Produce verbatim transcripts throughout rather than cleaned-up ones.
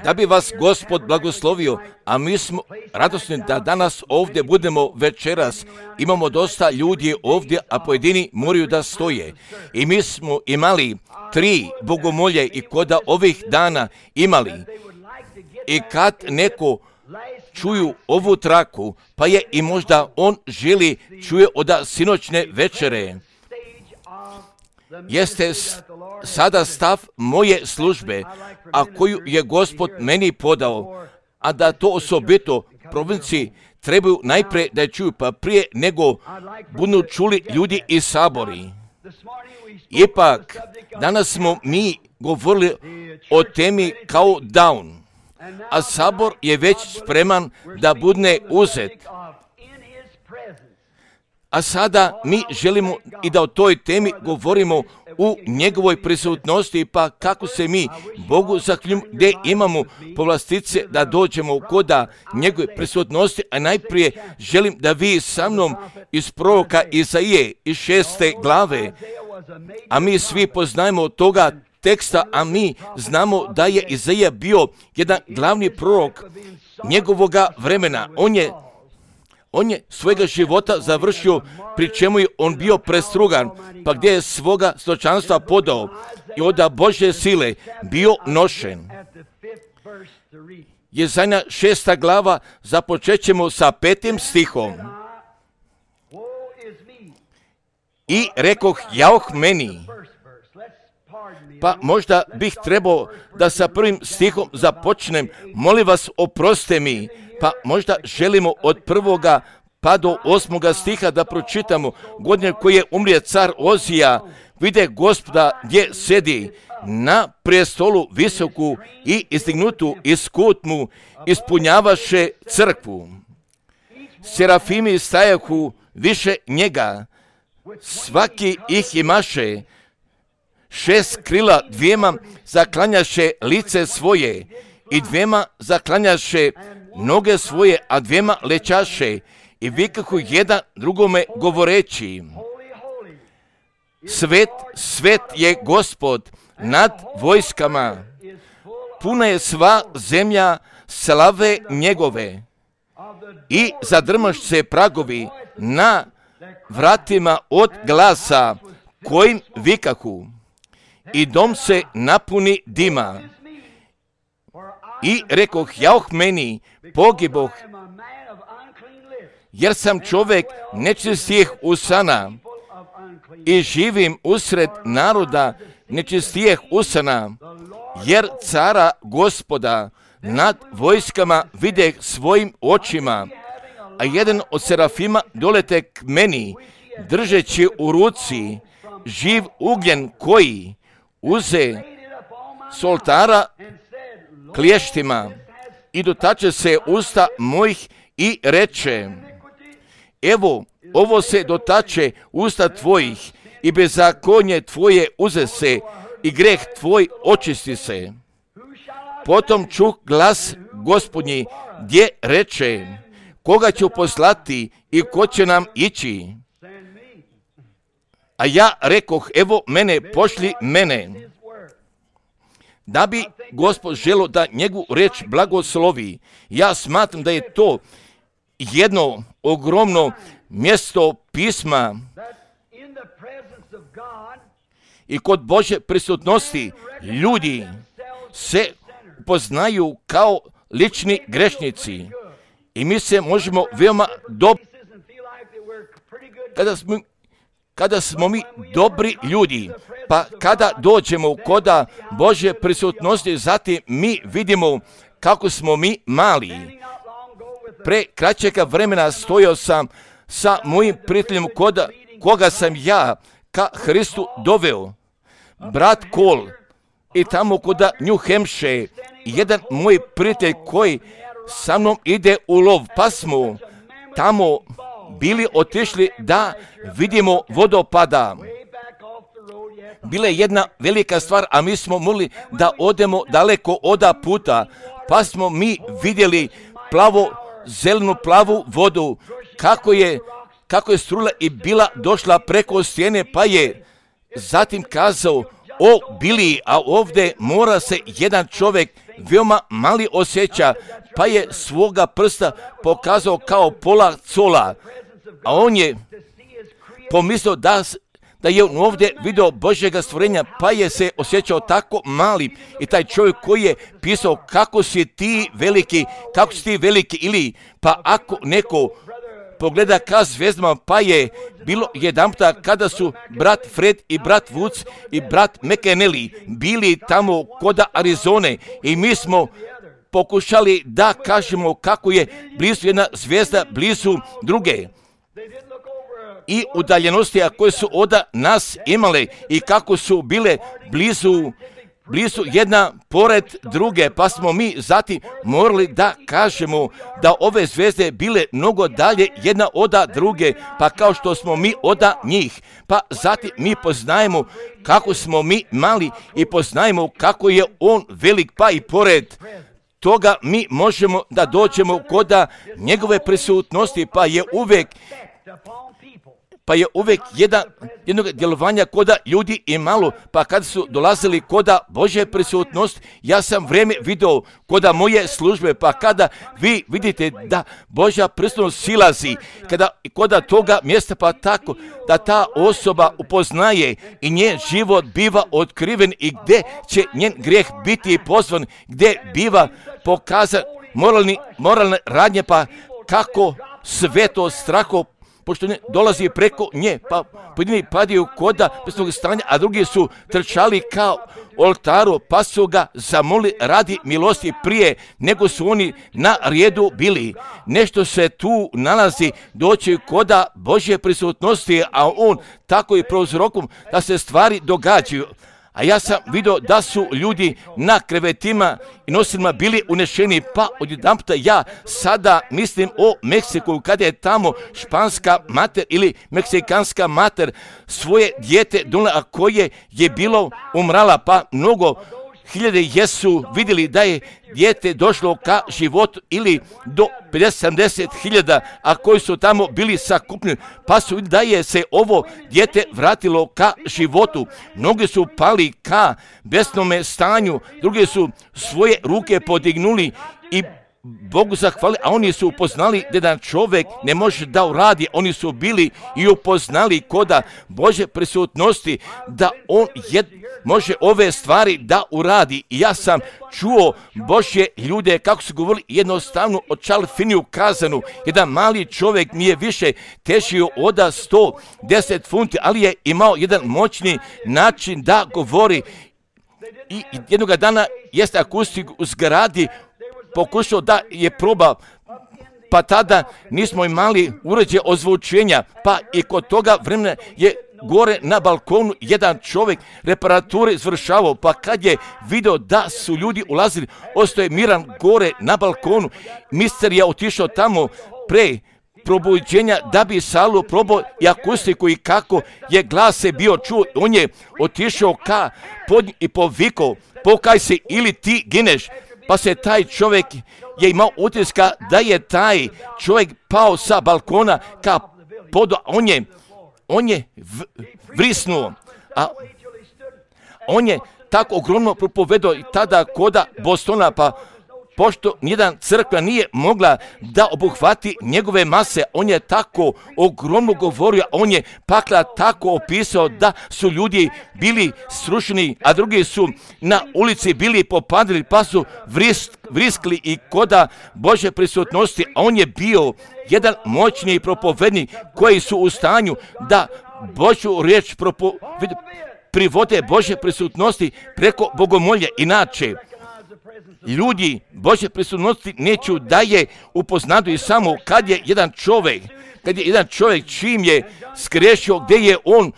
Da bi vas Gospod blagoslovio, a mi smo radosni da danas ovdje budemo večeras. Imamo dosta ljudi ovdje, a pojedini moraju da stoje. I mi smo imali tri bogomolje i koda ovih dana imali. I kad neko čuju ovu traku, pa je i možda on želi čuje od sinoćne večere. Jeste sada stav moje službe, a koju je Gospod meni podao, a da to osobito provinciji trebaju najprije da je čuju, pa prije nego budu čuli ljudi iz sabori. Ipak, danas smo mi govorili o temi kao down, a sabor je već spreman da bude uzet. A sada mi želimo i da o toj temi govorimo u njegovoj prisutnosti, pa kako se mi Bogu zakljujemo, gdje imamo povlastice da dođemo koda njegove prisutnosti, a najprije želim da vi sa mnom iz proroka Izaije iz šeste glave, a mi svi poznajemo toga teksta, a mi znamo da je Izaija bio jedan glavni prorok njegovoga vremena. On je On je svojega života završio, pri čemu je on bio prestrugan, pa gdje je svoga stočanstva podao i od Božje sile bio nošen. Izaija šesta glava, započet ćemo sa petim stihom. I rekoh, jauh meni. Pa možda bih trebao da sa prvim stihom započnem, molim vas oprostite mi. Pa možda želimo od prvoga pa do osmoga stiha da pročitamo. Godine koji je umrije car Ozija, vide Gospoda gdje sedi na prijestolu visoku i izdignutu iz kutmu, ispunjavaše crkvu. Serafimi stajahu više njega, svaki ih imaše, šest krila dvijema zaklanjaše lice svoje i dvijema zaklanjaše noge svoje, a dvijema lećaše i vikahu jedan drugome govoreći, svet, svet je Gospod nad vojskama, puna je sva zemlja slave njegove i zadrmaš se pragovi na vratima od glasa kojim vikahu i dom se napuni dima. I rekoh, jauh meni, pogiboh, jer sam čovjek nečistijih usana i živim usred naroda nečistijih usana, jer cara Gospoda nad vojskama vide svojim očima, a jedan od serafima dolete k meni, držeći u ruci živ ugljen koji uze s oltara kliještima i dotače se usta mojih i reče, evo, ovo se dotače usta tvojih i bezakonje tvoje uze se i greh tvoj očisti se. Potom čuh glas Gospodnji gdje reče, koga ću poslati i ko će nam ići? A ja rekoh, evo mene, pošli mene. Da bi Gospod želio da njegovu reč blagoslovi, ja smatram da je to jedno ogromno mjesto pisma i kod Božje prisutnosti ljudi se poznaju kao lični grešnici i mi se možemo veoma dobro kada smo Kada smo mi dobri ljudi, pa kada dođemo koda Božje prisutnosti, zatim mi vidimo kako smo mi mali. Pre kraćega vremena stojao sam sa mojim prijateljem koda, koga sam ja ka Hristu doveo. Brat Kol i tamo koda New Hampshire, jedan moj prijatelj koji sa mnom ide u lov, pa smo tamo bili otišli da vidimo vodopada. Bila je jedna velika stvar, a mi smo mogli da odemo daleko oda puta, pa smo mi vidjeli plavo, zelenu plavu vodu, kako je, kako je strula i bila došla preko stijene, pa je zatim kazao, o Biliji, a ovdje mora se jedan čovjek veoma mali osjeća, pa je svoga prsta pokazao kao pola cola, a on je pomislio da, da je on ovdje vidio Božjega stvorenja, pa je se osjećao tako mali. I taj čovjek koji je pisao kako si ti veliki, kako si ti veliki, ili pa ako neko pogleda ka zvijezdama, pa je bilo jedanputa kada su brat Fred i brat Woods i brat McAnally bili tamo kod Arizone i mi smo pokušali da kažemo kako je blizu jedna zvijezda, blizu druge i udaljenosti koje su od nas imale i kako su bile blizu blizu jedna pored druge, pa smo mi zatim morali da kažemo da ove zvezde bile mnogo dalje jedna od druge, pa kao što smo mi od njih, pa zatim mi poznajemo kako smo mi mali i poznajemo kako je on velik, pa i pored toga mi možemo da dođemo kod njegove prisutnosti, pa je uvijek pa je uvijek jedan, jednog djelovanja koda ljudi i malo, pa kad su dolazili koda Božje prisutnost, ja sam vrijeme vidio koda moje službe, pa kada vi vidite da Božja prisutnost silazi, kada koda toga mjesta, pa tako da ta osoba upoznaje i njen život biva otkriven i gdje će njen grijeh biti pozvan, gdje biva pokazan moralni, moralne radnje, pa kako sve to straho pošto ne dolazi preko nje, pa pojedini padaju koda besnog stanja, a drugi su trčali kao oltaru, pa su ga zamoli radi milosti prije nego su oni na redu bili. Nešto se tu nalazi doći koda Božje prisutnosti, a on tako i prouzrokom da se stvari događaju. A ja sam vidio da su ljudi na krevetima i nosilima bili unešeni, pa odjedanputa ja sada mislim o Meksiku, kada je tamo španska mater ili meksikanska mater svoje dijete donijela, a koje je bilo umrala, pa mnogo hiljade jesu vidjeli da je dijete došlo ka životu ili do pedeset sedamdeset hiljada, a koji su tamo bili sakupljeni, pa su vidjeli da je se ovo dijete vratilo ka životu. Mnogi su pali ka besnome stanju, drugi su svoje ruke podignuli i Bogu zahvali, a oni su upoznali da jedan čovjek ne može da uradi. Oni su bili i upoznali koda Božje prisutnosti da on jed, može ove stvari da uradi. I ja sam čuo Božje ljude kako su govorili jednostavno o Čalfiniju kazanu. Jedan mali čovjek mi je više težio od sto deset funti, ali je imao jedan moćni način da govori. I jednog dana jeste akustik u zgradi pokušao da je proba, pa tada nismo imali uređaj ozvučenja, pa i kod toga vremena je gore na balkonu jedan čovjek reparature izvršavao, pa kad je video da su ljudi ulazili, ostao je miran gore na balkonu. Mister je otišao tamo pre probuđenja da bi salu probao i akustiku i kako je glas se bio čuo. On je otišao ka pod i povikao, pokaj se ili ti gineš. Pa se taj čovjek je imao utiska da je taj čovjek pao sa balkona ka podu, on je, on je v, vrisnuo, a on je tako ogromno propovedao i tada koda Bostona, pa pošto nijedan crkva nije mogla da obuhvati njegove mase, on je tako ogromno govorio, on je pakla tako opisao da su ljudi bili srušeni, a drugi su na ulici bili popadili, pa su vrisk, vriskli i koda Božje prisutnosti, a on je bio jedan moćni propovednik koji su u stanju da Božju riječ propo, privode Božje prisutnosti preko bogomolja. Inače, ljudi Božje prisutnosti neću da je upoznaju samo kad je jedan čovjek, kad je jedan čovjek čim je skrešio, gdje je on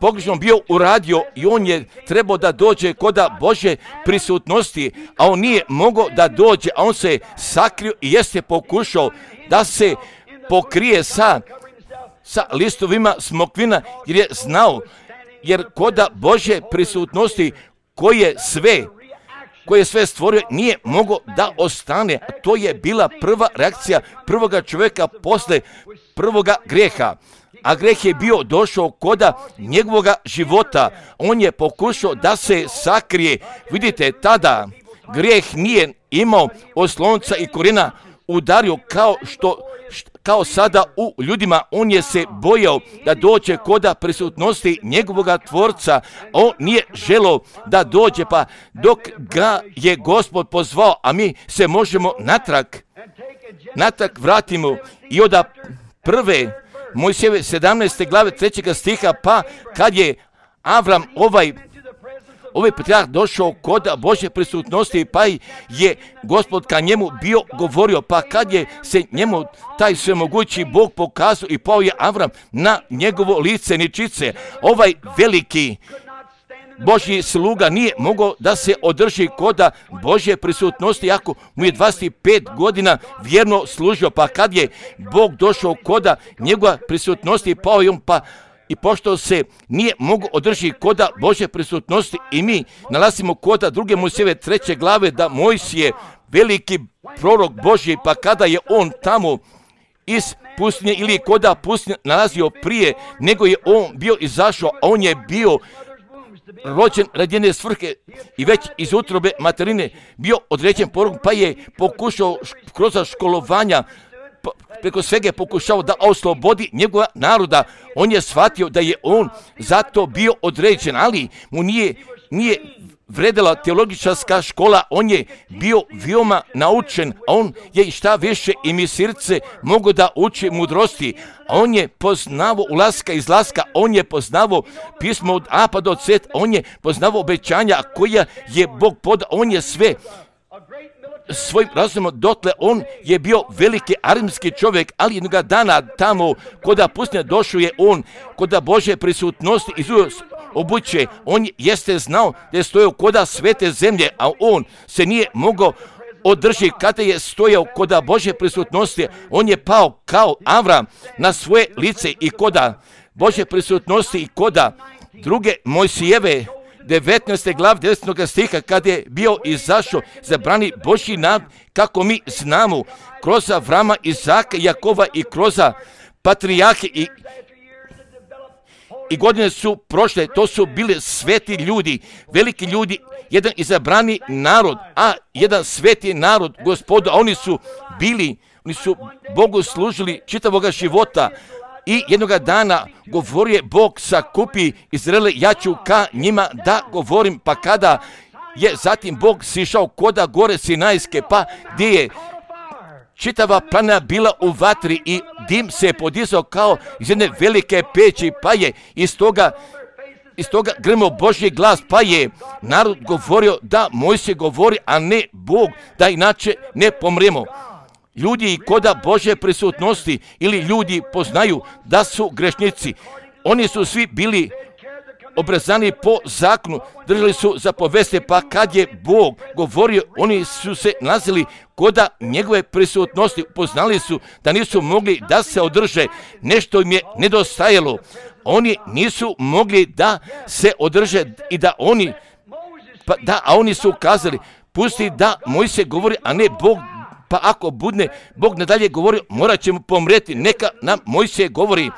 pogrešno bio uradio i on je trebao da dođe koda Božje prisutnosti, a on nije mogao da dođe, a on se sakrio i jeste pokušao da se pokrije sa, sa listovima smokvina, jer je znao, jer koda Božje prisutnosti koje sve koje je sve stvorio, nije mogao da ostane. A to je bila prva reakcija prvoga čovjeka posle prvoga grijeha. a greh je bio došao koda njegovoga života. On je pokušao da se sakrije. Vidite, tada grijeh nije imao oslonca i korijena, udario kao što kao sada u ljudima. On je se bojao da dođe koda prisutnosti njegovoga tvorca. On nije želio da dođe, pa dok ga je Gospod pozvao, a mi se možemo natrag, natrag vratimo i od prve Mojsijeve sedamnaeste glave trećega stiha, pa kad je Avram ovaj Ovaj patrijarh došao kod Božje prisutnosti, pa je Gospod ka njemu bio govorio, pa kad je se njemu taj svemogući Bog pokazao i pao je Avram na njegovo lice ničice, ovaj veliki Božji sluga nije mogao da se održi koda Božje prisutnosti, ako mu je dvadeset pet godina vjerno služio, pa kad je Bog došao koda njegova prisutnosti, pao je on, pa i pošto se nije mogu održiti koda Božje prisutnosti, i mi nalazimo koda druge Mojsijeve treće glave da Mojsije, veliki prorok Božji, pa kada je on tamo iz pustinje ili koda pustinje nalazio prije nego je on bio izašao, a on je bio rođen radi jedne svrhe i već iz utrobe materine bio određen porok, pa je pokušao kroz školovanja preko svega je pokušao da oslobodi njegova naroda. On je shvatio da je on zato bio određen, ali mu nije, nije vredela teologičarska škola, on je bio veoma naučen, a on je šta više i mi srce mogu da uči mudrosti, a on je poznavo ulaska i izlaska, on je poznavo pismo od A pa do Z, on je poznavo obećanja koja je Bog podao, on je sve svojim razumom dotle, on je bio veliki arimski čovjek, ali jednoga dana tamo koda pustinje došao je on, koda Božje prisutnosti iz obuće, on jeste znao da je stojao koda svete zemlje, a on se nije mogao održi kada je stojao koda Božje prisutnosti, on je pao kao Avram na svoje lice i koda Božje prisutnosti i koda druge Mojsijeve devetnaeste glave devetog stiha, kad je bio izašao za brani Božji narod, kako mi znamo, kroz Avrama, Izaka, Jakova i kroz patrijarhe i, i godine su prošle, to su bili sveti ljudi, veliki ljudi, jedan izabrani narod, a jedan sveti narod Gospoda, oni su bili, oni su Bogu služili čitavoga života. I jednoga dana govorio je Bog sakupi Izraele, ja ću ka njima da govorim, pa kada je zatim Bog sišao koda gore Sinajske, pa gdje je čitava planina bila u vatri i dim se je podizao kao iz jedne velike peći, pa je iz toga, iz toga grmio Božji glas, pa je narod govorio da Mojsije govori, a ne Bog, da inače ne pomremo. Ljudi i koda Božje prisutnosti ili ljudi poznaju da su grešnici. Oni su svi bili obrezani po zakonu, držali su zapovesti, pa kad je Bog govorio, oni su se nalazili koda njegove prisutnosti, poznali su da nisu mogli da se održe, nešto im je nedostajalo. Oni nisu mogli da se održe i da oni, pa da, a oni su kazali, pusti da Mojsije govori, a ne Bog. Pa ako budne Bog nadalje govori, morat ćemo pomreti, neka nam Mojsije govori.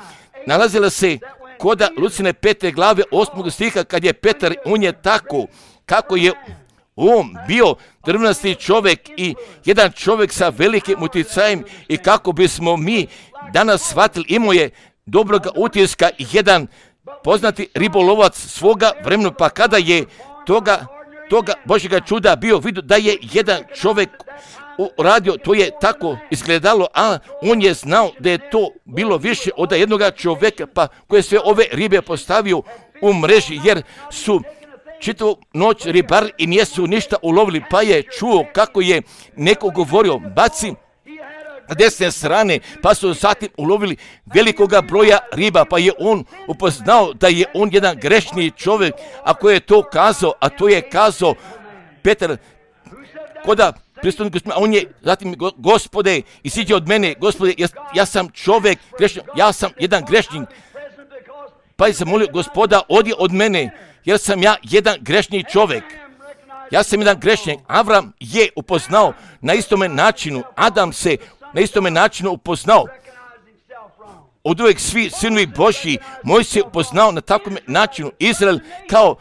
Nalazila se koda Lucine pete glave osmog stiha, kad je Petar, on je tako, kako je on bio drvnasti čovjek i jedan čovjek sa velikim utjecajem, i kako bismo mi danas shvatili, imao je dobroga utiska i jedan poznati ribolovac svoga vremena, pa kada je toga, toga Božjega čuda bio vidio da je jedan čovjek radio, to je tako izgledalo, a on je znao da je to bilo više od jednoga čovjeka, pa koje sve ove ribe postavio u mreži, jer su čitavu noć ribari i nijesu ništa ulovili, pa je čuo kako je neko govorio, baci na desne strane, pa su zatim ulovili velikoga broja riba, pa je on upoznao da je on jedan grešni čovjek, ako je to kazao, a to je kazao Petar, koda pristojnik Gospodin, a on je zatim, Gospode, isiđi od mene, Gospode, ja, ja sam čovjek grešnik, ja sam jedan grešnik, pa je se molio, Gospoda, odi od mene, jer sam ja jedan grešni čovjek. Ja sam jedan grešnik. Avram je upoznao na istome načinu, Adam se na istome načinu upoznao. od uvijek svi sinovi Božji, moj se upoznao na takvom načinu. Izrael kao,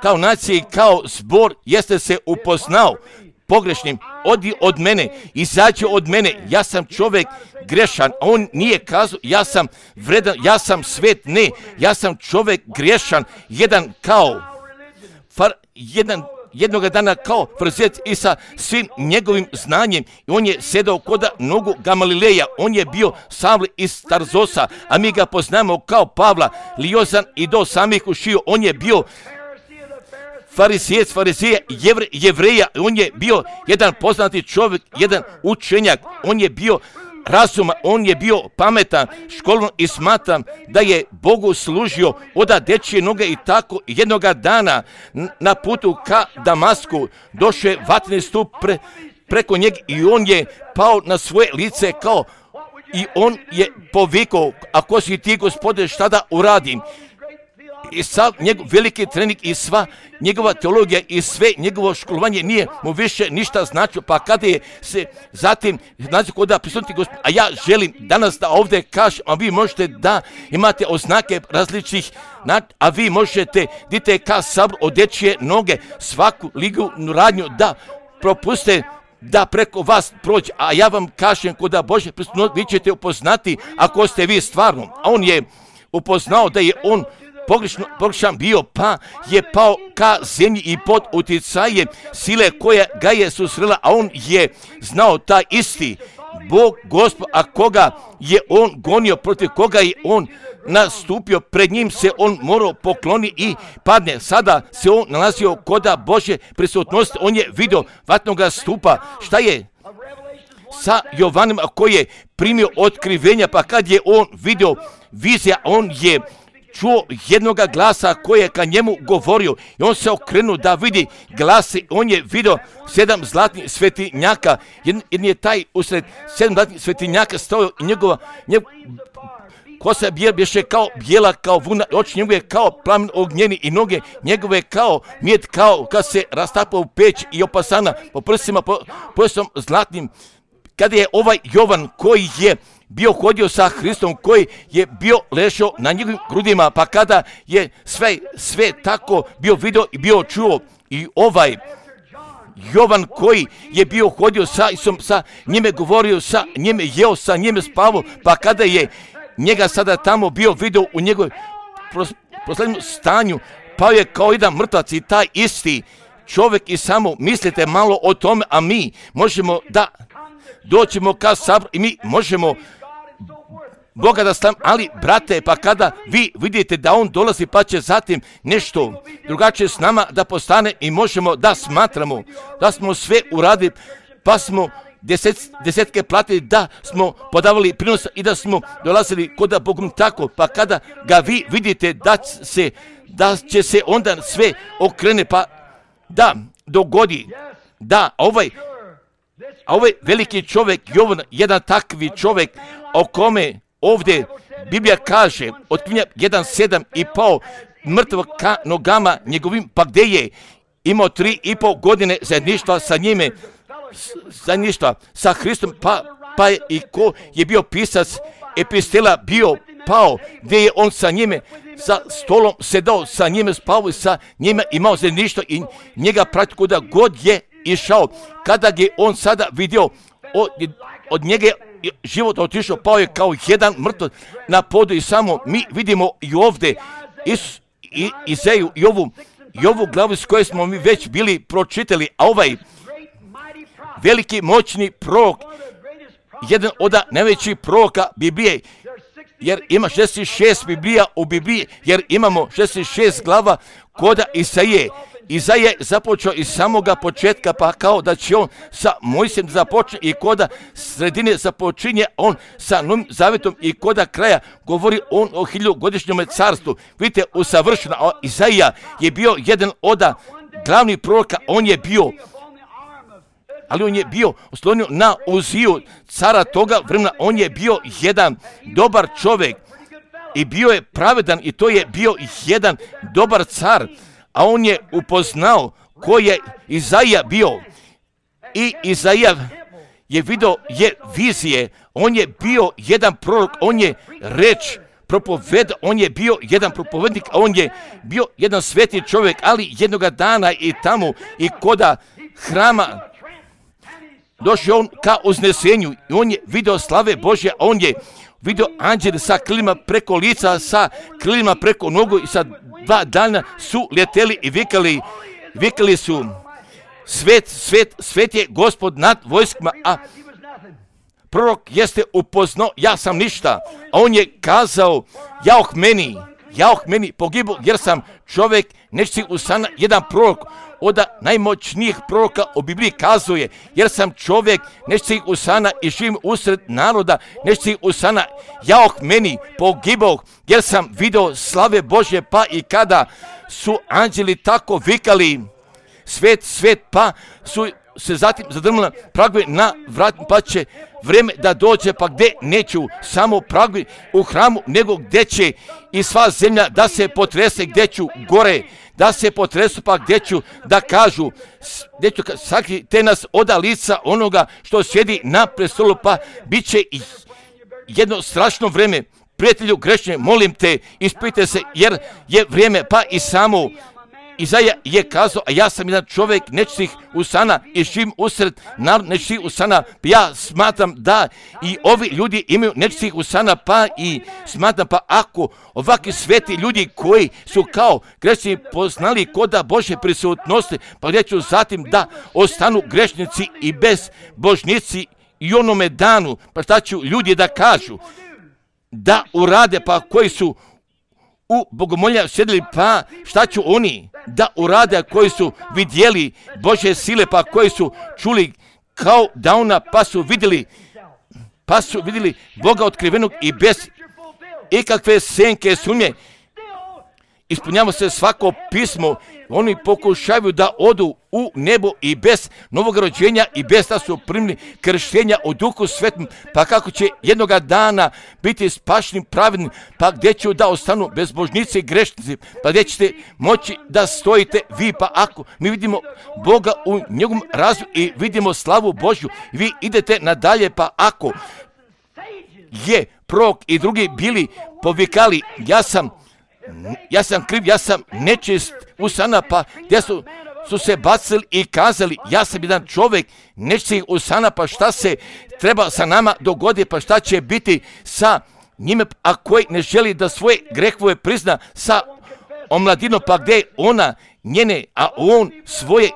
kao nacija i kao zbor jeste se upoznao pogrešnim. Odi od mene, izađi od mene, ja sam čovjek grešan. A on nije kazao, ja sam vredan, ja sam svet, ne, ja sam čovjek grešan, jedan kao, far, jedan jednoga dana kao farizejac i sa svim njegovim znanjem. I on je sedao koda nogu Gamalileja, on je bio Savle iz Tarzosa, a mi ga poznamo kao Pavla, liozan i do samih ušiju. On je bio farisejac, farizeja, jevre, jevreja, on je bio jedan poznati čovjek, jedan učenjak, on je bio razuma, on je bio pametan, školno i smatram da je Bogu služio oda dečije noge i tako jednoga dana na putu ka Damasku došao je vatreni stup pre, preko njega i on je pao na svoje lice kao i on je povikao, ako si ti Gospode šta da uradim? I sav njegov veliki trening i sva njegova teologija i sve njegovo školovanje nije mu više ništa značilo, pa kada je se zatim znači kod da prisutiti Gospod, a ja želim danas da ovdje kažem, a vi možete da imate oznake različitih, a vi možete dite ka sabor od dečije noge svaku ligu radnju da propuste da preko vas prođe, a ja vam kažem kod da Bože prisutno vi ćete upoznati ako ste vi stvarno, a on je upoznao da je on Pogrešno, pogrešan bio, pa je pao ka zemlji i pod utjecajem sile koja ga je susrela, a on je znao taj isti Bog, Gospod, a koga je on gonio, protiv koga je on nastupio, pred njim se on morao pokloni i padne. Sada se on nalazio koda Božje prisutnosti, on je vidio vatnoga stupa, šta je sa Jovanom koji je primio otkrivenja, pa kad je on vidio vizija, on je čuo jednoga glasa koji je ka njemu govorio i on se okrenuo da vidi glasi, on je vidio sedam zlatnih svetinjaka, jedan je taj usred sedam zlatnih svetinjaka stojao i njegova, njegova kosa je bješe kao bijela, kao vuna, oči njegove kao plamen ognjeni i noge njegove kao mjed, kao kad se rastapa u peć i opasana po prsima, po pojasom zlatnim. Kada je ovaj Jovan koji je bio hodio sa Hristom, koji je bio ležao na njegovim grudima, pa kada je sve, sve tako bio vidio i bio čuo i ovaj Jovan koji je bio hodio sa Isom, sa njime govorio, sa njime jeo, sa njime spavao, pa kada je njega sada tamo bio vidio u njegovoj posljednjem stanju, pao je kao jedan mrtvac i taj isti čovjek i samo mislite malo o tome, a mi možemo da doćemo ka sabor i mi možemo Boga da stav, ali brate, pa kada vi vidite da on dolazi pa će zatim nešto drugačije s nama da postane i možemo da smatramo da smo sve uradili, pa smo deset, desetke platili, da smo podavali prinos i da smo dolazili kod da Bogom tako, pa kada ga vi vidite da, se, da će se onda sve okrene, pa da dogodi, da ovaj A ovaj veliki čovjek, Jovan, jedan takvi čovjek o kome ovdje Biblija kaže, otkrivenja jedan sedam i pao mrtvo ka nogama njegovim, pa gdje je imao tri i pol godine zajedništva sa njime, zajedništva sa Hristom, pa, pa je i ko je bio pisac epistela bio pao, gdje je on sa njime, sa stolom sedao, sa njime spavao i sa njime imao zajedništvo i njega prati kuda god je išao. Kada je on sada vidio od, od njega život otišao, pao je kao jedan mrtvac na podu i samo mi vidimo i ovdje Is, i, Izeju i ovu, i ovu glavu s kojoj smo mi već bili pročitali, a ovaj veliki moćni prorok, jedan od najvećih proroka Biblije, jer ima šezdeset šest Biblija u Bibliji, jer imamo šezdeset šest glava koda Isaije. Izaija je započeo iz samoga početka, pa kao da će on sa Mojsijem započne i koda sredine započinje on sa Novim Zavjetom i koda kraja govori on o hiljugodišnjem carstvu. Vidite, usavršeno, a Izaija je bio jedan od glavnih proroka, on je bio, ali on je bio oslonio na Uziju, cara toga vremena, on je bio jedan dobar čovjek i bio je pravedan i to je bio jedan dobar car. A on je upoznao ko je Izaija bio i Izaija je vidio je vizije on je bio jedan prorok, on je reč propoveda, on je bio jedan propovednik, on je bio jedan sveti čovjek, ali jednoga dana i tamo i koda hrama došao on ka uznesenju i on je video slave Božje, on je video anđele sa krilima preko lica, sa krilima preko nogu i sa dva dana su leteli i vikali, vikali su svet, svet, svet je Gospod nad vojskama, a prorok jeste upoznao, ja sam ništa, a on je kazao, jauh meni, jauh meni, pogibu jer sam čovjek nečistih usana, jedan prorok od najmoćnijih proroka u Bibliji kazuje, jer sam čovjek nečistih usana i živim usred naroda nečistih usana, jauh meni, pogiboh jer sam video slave Božje, pa i kada su anđeli tako vikali, svet, svet, pa su se zatim zadrmali pragove na vratima, pa će vrijeme da dođe, pa gdje neću samo pragove u hramu, nego gdje će i sva zemlja da se potrese, gdje ću gore da se potresu, pa gdje ću da kažu, gdje ću sakrite nas oda lica onoga što sjedi na prestolu, pa bit će i jedno strašno vrijeme. Prijatelju grešne, molim te, ispite se, jer je vrijeme, pa i samo Izaja je kazao, a ja sam jedan čovjek nečistih usana i živim usred narod nečistih usana. Ja smatram da i ovi ljudi imaju nečistih usana, pa i smatram, pa ako ovakvi sveti ljudi koji su kao grešni poznali koda Božje prisutnosti, pa gdje ću zatim da ostanu grešnici i bez božnici i onome danu, pa šta ću ljudi da kažu, da urade, pa koji su u bogomolja sjedili, pa šta ću oni da urade koji su vidjeli Božje sile, pa koji su čuli kao dauna, pa su vidjeli, pa su vidjeli Boga otkrivenog i bez ikakve senke sumnje. Ispunjava se svako pismo, oni pokušaju da odu u nebo i bez novog rođenja i bez da su primili krštenja u Duhu Svetom, pa kako će jednoga dana biti spašeni pravedni, pa gdje će da ostanu bezbožnici i grešnici, pa gdje ćete moći da stojite vi, pa ako mi vidimo Boga u njegovom razvoju i vidimo slavu Božju, vi idete nadalje, pa ako je prorok i drugi bili povikali, ja sam Ja sam kriv, ja sam nečist usana, pa gdje su, su se bacili i kazali, ja sam jedan čovjek nečistih usana, pa šta se treba sa nama dogodi, pa šta će biti sa njime, a koji ne želi da svoje grehove prizna sa omladinom, pa gdje ona njene, a on svoje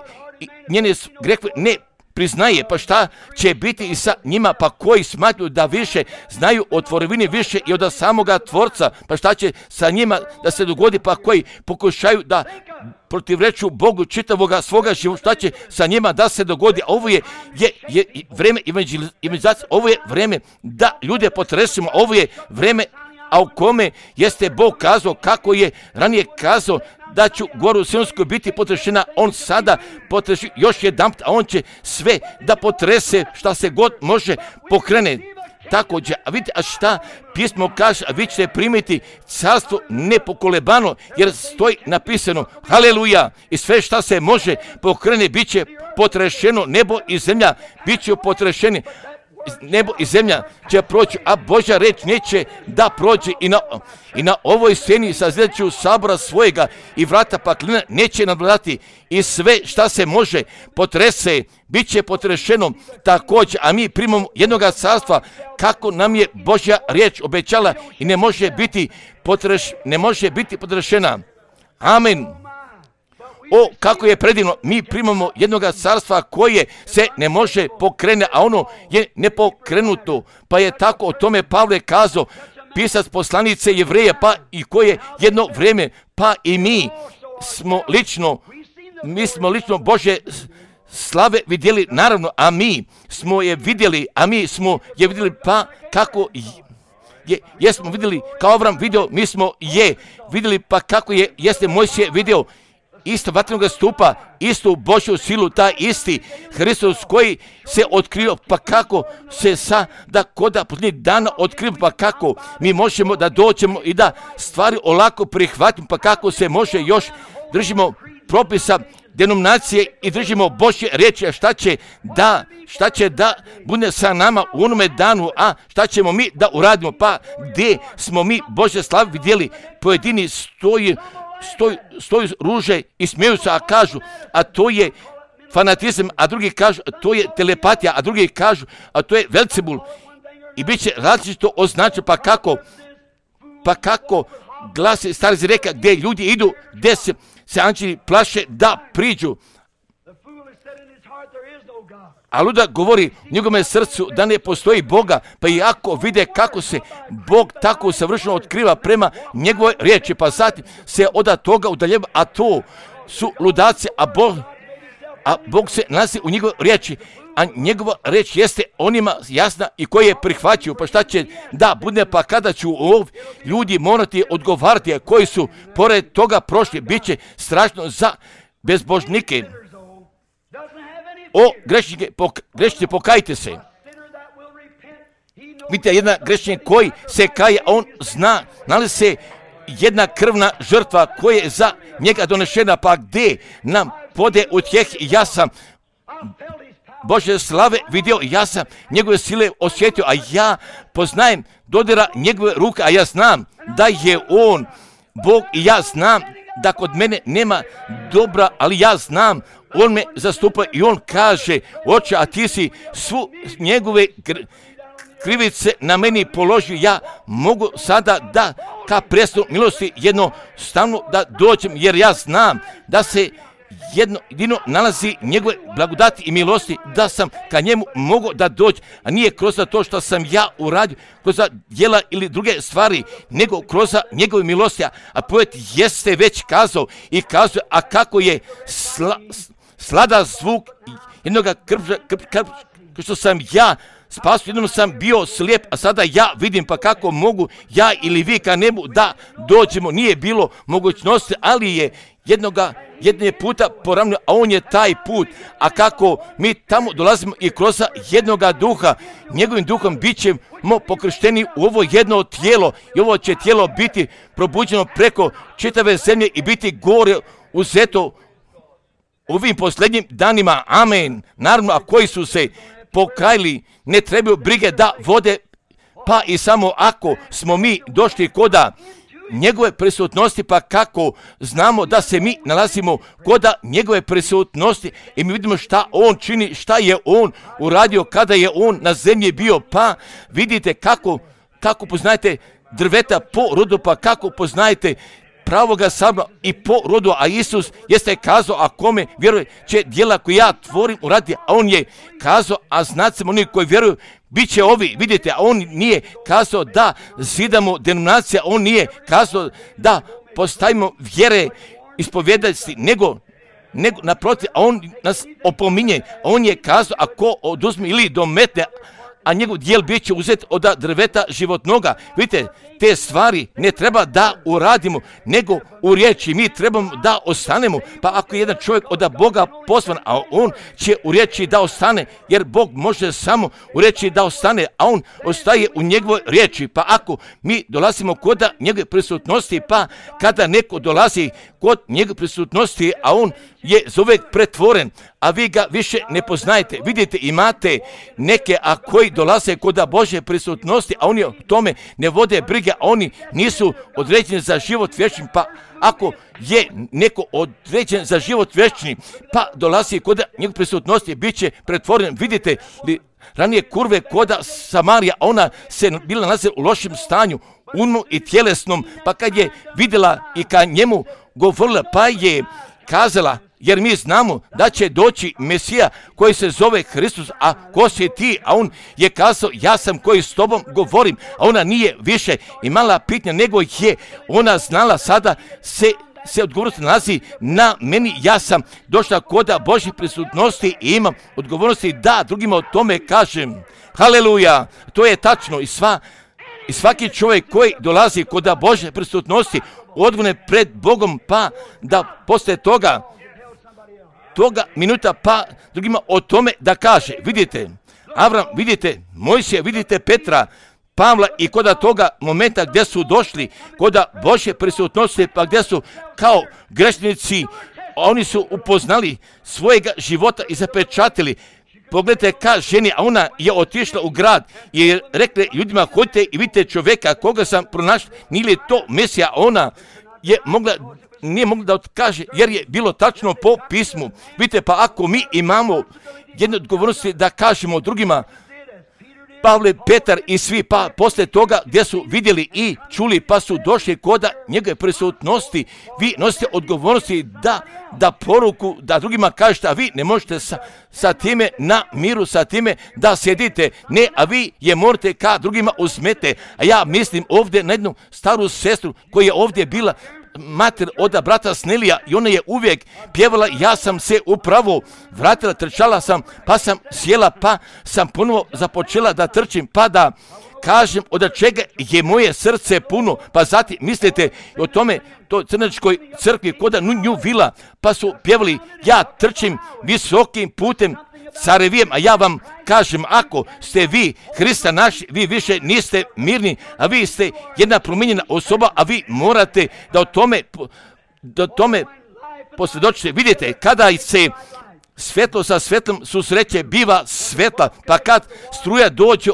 njene grehove ne priznaje, pa šta će biti i sa njima, pa koji smatruju da više znaju o tvorevini više i od samoga Tvorca, pa šta će sa njima da se dogodi, pa koji pokušaju da protivreču Bogu čitavoga svoga života, šta će sa njima da se dogodi. Ovo je, je, je vreme evangelizacije, ovo je vreme da ljude potresimo, ovo je vreme, a u kome jeste Bog kazao, kako je ranije kazao, da ću goru Sionsku biti potrešena, on sada potreši još jedan, a on će sve da potrese šta se god može pokrene. Također, a vidite, a šta pismo kaže, a vi ćete primiti carstvo nepokolebano, jer stoji napisano, haleluja, i sve šta se može pokrene, bit će potrešeno, nebo i zemlja bit će potrešeni. Nebo i zemlja će proći, a Božja reč neće da prođe i na, i na ovoj sceni sazreću sabora svojega i vrata paklina neće nadvladati i sve šta se može potrese, bit će potrešeno također, a mi primamo jednoga carstva kako nam je Božja riječ obećala i ne može biti, potreš, ne može biti potrešena. Amen. O, kako je predivno, mi primamo jednoga carstva koje se ne može pokrene, a ono je nepokrenuto. Pa je tako o tome Pavle kazao, pisac poslanice Jevreja, pa i koje jedno vrijeme, pa i mi smo lično, mi smo lično Božje slave vidjeli, naravno, a mi smo je vidjeli, a mi smo je vidjeli, pa kako je, jesmo vidjeli, kao Avram video, mi smo je vidjeli, pa kako je, jeste Mojsije video, isto vatrenog stupa, istu Božju silu, taj isti Hristos koji se otkrio, pa kako se sada koda posljednjih dana otkrio, pa kako mi možemo da dođemo i da stvari olako prihvatimo, pa kako se može još držimo propisa denominacije i držimo Božje riječi, a šta će da, šta će da bude sa nama u onome danu, a šta ćemo mi da uradimo, pa gdje smo mi Božje slave vidjeli, pojedini stoji, stoji, stoji ruže i smijeju se, a kažu, a to je fanatizam, a drugi kažu, a to je telepatija, a drugi kažu, a to je Velcebul. I bit će različito označeno, pa kako, pa kako glasi stari reka gdje ljudi idu, gdje se, se anđeli plaše da priđu. A ludak govori u njegovome srcu da ne postoji Boga, pa i ako vide kako se Bog tako savršeno otkriva prema njegovoj riječi, pa zatim se od toga udaljeva, a to su ludaci, a Bog, a Bog se nalazi u njegovoj riječi, a njegova riječ jeste onima jasna i koje je prihvaćaju. Pa šta će da bude, pa kada ću ovdje ljudi morati odgovarati, a koji su pored toga prošli, bit će strašno za bezbožnike. O grešnike, pok, grešnici, pokajte se. Vidite, jedan grešnik koji se kaje, on zna, nalazi se jedna krvna žrtva koja je za njega donešena, pa gdje nam pode utjeh, ja sam Božje slave vidio, ja sam njegove sile osjetio, a ja poznajem dodira njegove ruke, a ja znam da je on Bog i ja znam da kod mene nema dobra, ali ja znam, on me zastupa i on kaže, oče, a ti si svu njegove krivice na meni položio, ja mogu sada da ka prestolu milosti jednostavno da dođem, jer ja znam da se jedno jedino nalazi njegove blagodati i milosti, da sam ka njemu mogu da dođem, a nije kroz to što sam ja uradio, kroz djela ili druge stvari, nego kroz njegove milosti. A poet jeste već kazao i kazuje, a kako je sla, slada zvuk jednoga krpža, krp, krp, što sam ja spasio, jednom sam bio slijep, a sada ja vidim, pa kako mogu ja ili vi ka njemu da dođemo, nije bilo mogućnosti, ali je jednoga, jedne puta poravnio, a on je taj put, a kako mi tamo dolazimo i kroz jednoga duha, njegovim duhom bit ćemo pokršteni u ovo jedno tijelo i ovo će tijelo biti probuđeno preko čitave zemlje i biti gore uzeto u ovim posljednjim danima, amen. Naravno, a koji su se pokajali, ne trebaju brige da vode, pa i samo ako smo mi došli koda njegove prisutnosti, pa kako znamo da se mi nalazimo koda njegove prisutnosti i mi vidimo šta on čini, šta je on uradio kada je on na zemlji bio, pa vidite kako, kako poznajete drveta po rodu, pa kako poznajete pravoga sabra i po rodu, a Isus jeste kazao, a kome vjeruje će djela koje ja tvorim uraditi, a on je kazao, a znacima oni koji vjeruju bit će ovi, vidite, a on nije kazao da zidamo denominacija, on nije kazao da postavimo vjere ispovjedati, nego nego naprotiv, a on nas opominje, a on je kazao, ako oduzme ili dometne, a njegov dijel bit će uzet od drveta životnoga. Vidite, te stvari ne treba da uradimo, nego u riječi mi trebamo da ostanemo. Pa ako je jedan čovjek od Boga poslan, a on će u riječi da ostane, jer Bog može samo u riječi da ostane, a on ostaje u njegovoj riječi. Pa ako mi dolazimo kod njegove prisutnosti, pa kada neko dolazi kod njegove prisutnosti, a on je zovek pretvoren, a vi ga više ne poznajete. Vidite, imate neke, a koji dolaze kod Božje prisutnosti, a oni o tome ne vode brige, a oni nisu određeni za život vječni, pa ako je neko određen za život vječni, pa dolazi kod njegove prisutnosti, bit će pretvoren. Vidite li ranije kurve koda Samarija, ona se bila nalazi u lošem stanju, umnu i tjelesnom, pa kad je vidjela i ka njemu govorila, pa je kazala, jer mi znamo da će doći Mesija koji se zove Hristos, a ko si ti? A on je kazao, ja sam koji s tobom govorim, a ona nije više imala pitanja, nego je ona znala sada se se odgovornost nalazi na meni, ja sam došla koda Božje prisutnosti i imam odgovornosti da drugima o tome kažem. Haleluja, to je tačno i sva i svaki čovjek koji dolazi koda Božje prisutnosti odgovore pred Bogom, pa da posle toga toga minuta pa drugima o tome da kaže. Vidite, Avram, vidite Mojsija, vidite Petra, Pavla i koda toga momenta gdje su došli koda Božje prisutnosti, pa gdje su kao grešnici oni su upoznali svojega života i zapečatili. Pogledajte ka ženi, a ona je otišla u grad i je rekla ljudima, hodite i vidite čovjeka koga sam pronašla, nije li to Mesija, a ona je mogla, nije mogla da otkaže, jer je bilo tačno po pismu. Vidite, pa ako mi imamo jednu odgovornost da kažemo drugima, Pavle, Petar i svi, pa posle toga gdje su vidjeli i čuli, pa su došli koda njegove prisutnosti, vi nosite odgovornosti da, da poruku, da drugima kažete, a vi ne možete sa, sa time na miru, sa time da sjedite, ne, a vi je morate ka drugima uzmete. A ja mislim ovdje na jednu staru sestru koja je ovdje bila, mater od brata Snelija, i ona je uvijek pjevala, ja sam se upravo vratila, trčala sam, pa sam sjela, pa sam ponovo započela da trčim, pa da kažem od čega je moje srce puno. Pa zatim mislite o tome, to crnačkoj crkvi koda nju vila, pa su pjevali, ja trčim visokim putem carevijem, a ja vam kažem, ako ste vi Hrista naši, vi više niste mirni, a vi ste jedna promijenjena osoba, a vi morate da o tome, da tome posvjedočite. Vidite, kada se svetlo sa svetlom susreće, biva svetla, pa kad struja dođe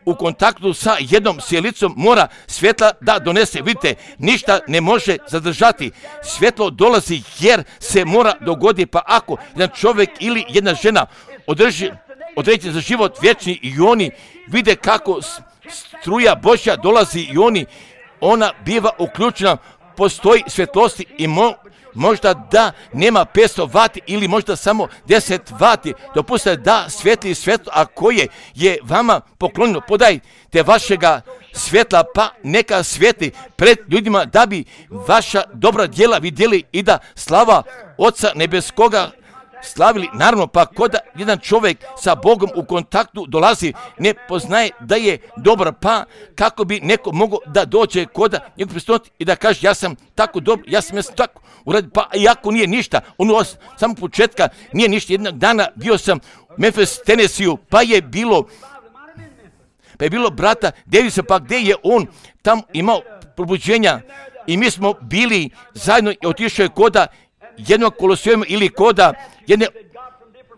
u kontaktu sa jednom sjelicom, mora svjetla da donese. Vidite, ništa ne može zadržati. Svjetlo dolazi jer se mora dogoditi, pa ako jedan čovjek ili jedna žena održi određen za život vječni i oni vide kako struja Božja dolazi i oni, ona biva uključena, postoji svjetlosti i mo, možda da nema petsto vati ili možda samo deset vati, dopustite da svijetli svjetlo, a koje je vama poklonjeno, podajte vašega svjetla, pa neka svijetli pred ljudima da bi vaša dobra djela vidjeli i da slava Oca nebeskoga slavili. Naravno, pa koda jedan čovjek sa Bogom u kontaktu dolazi, ne poznaje da je dobar, pa kako bi neko mogao da dođe koda njegov prisutnosti i da kaže, ja sam tako dobar, ja sam, ja sam tako uradio, pa iako nije ništa, ono od samog početka nije ništa. Jednog dana bio sam u Memphis, Tennessee, pa je bilo pa je bilo brata Davisa, pa gdje je on tam imao probuđenja i mi smo bili zajedno i otišao je koda jednog kolosijuma ili koda jedne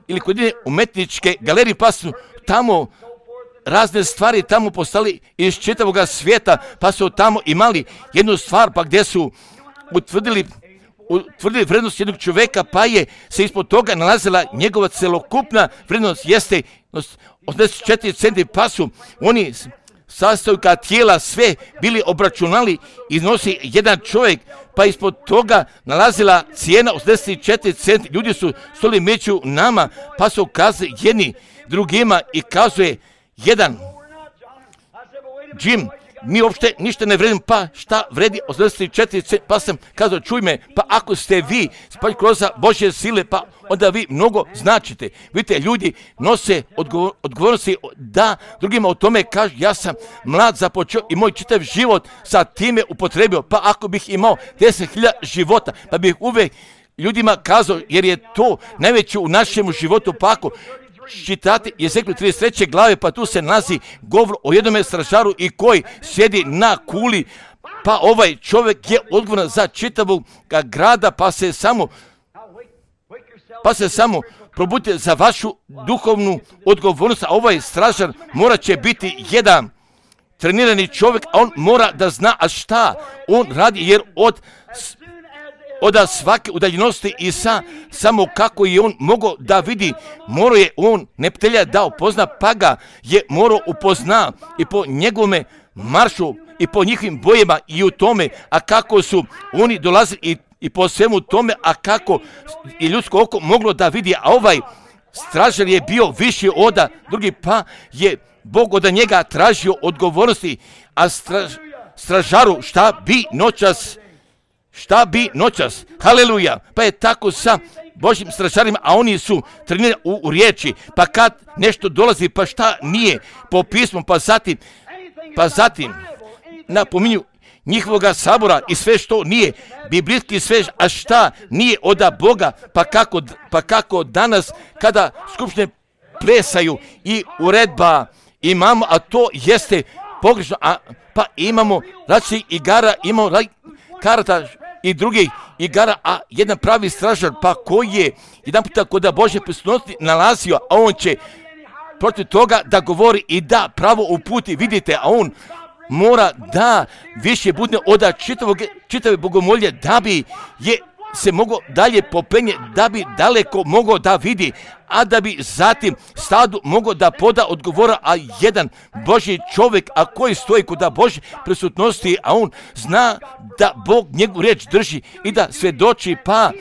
ili kod jedne umetničke galerije, pa su tamo razne stvari tamo postali iz čitavog svijeta, pa su tamo imali jednu stvar, pa gdje su utvrdili utvrdili vrednost jednog čovjeka, pa je se ispod toga nalazila njegova celokupna vrednost, jeste osamdeset četiri centi, pa su oni sastojka tijela sve bili obračunali, iznosi jedan čovjek, pa ispod toga nalazila cijena osamdeset četiri centi. Ljudi su stoli među nama, pa su kazali jedni drugima i kazuje jedan, Jim, mi uopšte ništa ne vredimo, pa šta vredi osamdeset četiri centi, pa sam kazao, čuj me, pa ako ste vi spali kroz Božje sile, pa onda vi mnogo značite. Vidite, ljudi nose odgovor, odgovornosti da drugima o tome kažu, ja sam mlad započeo i moj čitav život sa time upotrebio, pa ako bih imao deset hiljada života, pa bih uvijek ljudima kazao, jer je to najveće u našem životu, pa ako čitate Jezekiju trideset treće glave, pa tu se nalazi govor o jednome stražaru i koji sjedi na kuli, pa ovaj čovjek je odgovoran za čitavog grada, pa se samo pa se samo probudite za vašu duhovnu odgovornost, a ovaj stražar mora će biti jedan trenirani čovjek, a on mora da zna a šta on radi, jer od od svake udaljenosti i sa samo kako je on mogao da vidi, morao je on neptelja da upozna, pa ga je morao upozna i po njegovome maršu i po njihovim bojima i u tome, a kako su oni dolazili i, i po svemu tome, a kako i ljudsko oko moglo da vidi, a ovaj stražar je bio viši od drugi, pa je Bog od njega tražio odgovornosti, a straž, stražaru šta bi noćas Šta bi noćas? Haleluja! Pa je tako sa Božjim stražarima, a oni su trenirani u, u riječi, pa kad nešto dolazi, pa šta nije po pismu, pa zatim, pa zatim napominju njihovoga sabora i sve što nije biblijski sve, a šta nije od Boga, pa kako, pa kako danas kada skupštine plesaju i uredba imamo, a to jeste pogrešno, a pa imamo različitih igara, imamo karata i drugih igara, a jedan pravi stražar, pa koji je jedan puta kod Božje prisutnosti nalazio, a on će protiv toga da govori i da pravo uputi, vidite, a on mora da više bude od čitavog, čitave bogomolje, da bi je se mogao dalje popenje, da bi daleko mogao da vidi, a da bi zatim stadu mogao da poda odgovora, a jedan Božji čovjek, a koji stoji kod Božje prisutnosti, a on zna da Bog njegovu riječ drži i da svjedoči, pa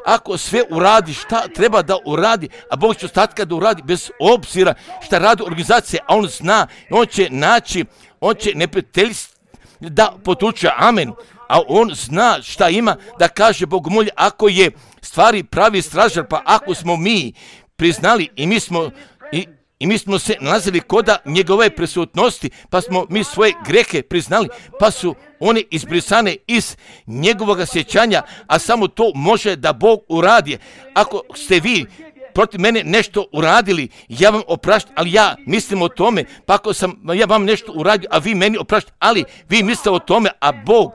ako sve uradi šta treba da uradi, a Bog će ostatka da uradi bez obzira šta radi organizacija, a on zna, on će naći, on će neprijateljstvo da potuče, amen, a on zna šta ima da kaže bogomolje, ako je stvari pravi stražar, pa ako smo mi priznali i mi smo i, i mi smo se nalazili koda njegove prisutnosti, pa smo mi svoje grehe priznali, pa su one izbrisane iz njegovog sjećanja, a samo to može da Bog uradi. Ako ste vi protiv mene nešto uradili, ja vam opraštam, ali ja mislim o tome, pa ako sam ja vam nešto uradio, a vi meni opraštam, ali vi mislite o tome, a Bog,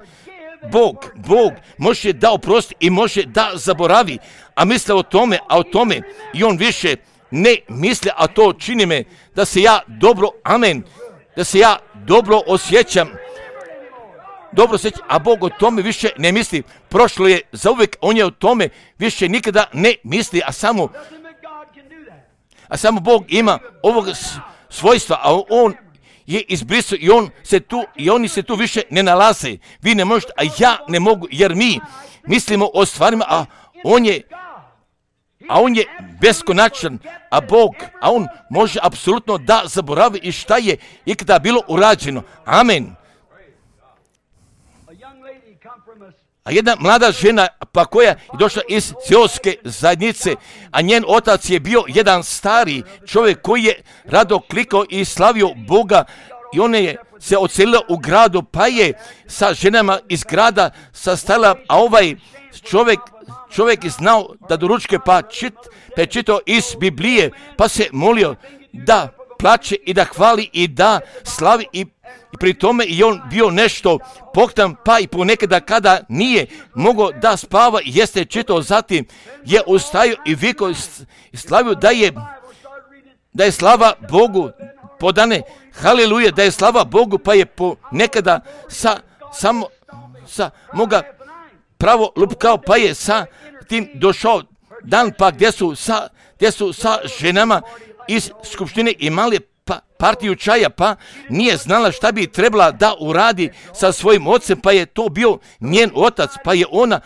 Bog, Bog može da oprosti i može da zaboravi, a misle o tome, a o tome i on više ne misli, a to čini me da se ja dobro, amen, da se ja dobro osjećam, dobro osjećam, a Bog o tome više ne misli. Prošlo je zauvijek, on je o tome više nikada ne misli, a samo a samo Bog ima ovog svojstva, a on je izbrisao i on se tu i oni se tu više ne nalaze. Vi ne možete, a ja ne mogu, jer mi mislimo o stvarima, a on je a on je beskonačan, a Bog, a on može apsolutno da zaboravi i šta je ikada bilo urađeno. Amen. A jedna mlada žena, pa koja je došla iz seoske zajednice, a njen otac je bio jedan stari čovjek koji je rado klikao i slavio Boga, i ona je se odselila u gradu, pa je sa ženama iz grada sastala, a ovaj čovjek, čovjek je znao da do ručke pa, čit, pa je čitao iz Biblije, pa se molio da plače i da hvali i da slavi i I pri tome i on bio nešto poktan, pa i ponekada kada nije mogao da spava, jeste čitao, zatim je ustajao i vikao i slavio da je, da je slava Bogu podane, haleluja, da je slava Bogu, pa je ponekada sa, samo, sa moga pravo lupkao, pa je sa tim došao dan, pa gdje su sa, gdje su sa ženama iz skupštine imali pa partiju čaja, pa nije znala šta bi trebala da uradi sa svojim ocem, pa je to bio njen otac, pa je ona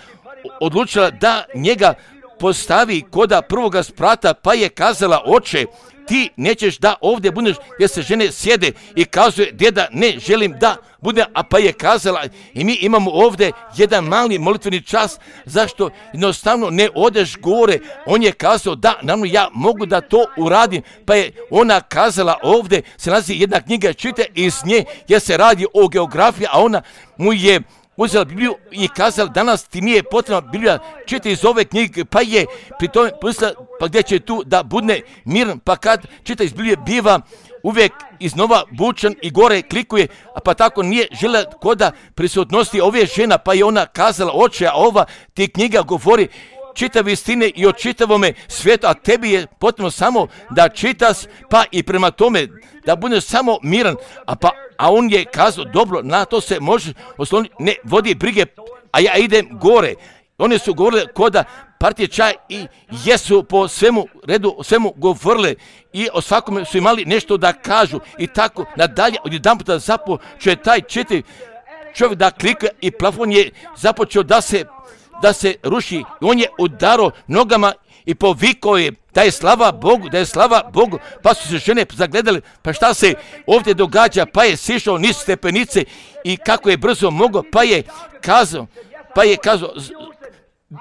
odlučila da njega postavi koda prvoga sprata, pa je kazala, oče, ti nećeš da ovdje budeš gdje se žene sjede, i kazuje, djeda, ne želim da bude, a pa je kazala, i mi imamo ovdje jedan mali molitveni čas, zašto jednostavno ne odeš gore. On je kazao, da, naravno ja mogu da to uradim, pa je ona kazala, ovdje se nalazi jedna knjiga, čite iz nje, jer se radi o geografiji, a ona mu je uzela Bibliju i kazala, danas ti nije potrebna Biblija, čita iz ove knjige, pa je pri tome pomislila, pa gdje će tu da budne miran, pa kad čita iz Biblije biva uvijek iznova bučan i gore klikuje, a pa tako nije željela koda prisutnosti ove žena, pa je ona kazala, oče, a ova ti knjiga govori čitave istine i o čitavome svijetu, a tebi je potrebno samo da čitas, pa i prema tome da budeš samo miran, a pa a on je kazao, dobro, na to se može osloniti, ne vodi brige, a ja idem gore. One su govorile koda partije čaja i jesu po svemu redu, o svemu govorile i o svakome su imali nešto da kažu i tako nadalje. Odjedan puta započeo taj četiri čovjek da klika i plafon je započeo da se, da se ruši. On je udarao nogama i povikao je da je slava Bogu, da je slava Bogu, pa su se žene zagledali, pa šta se ovdje događa, pa je sišao niz stepenice i kako je brzo mogao, pa je kazao, pa je kazao,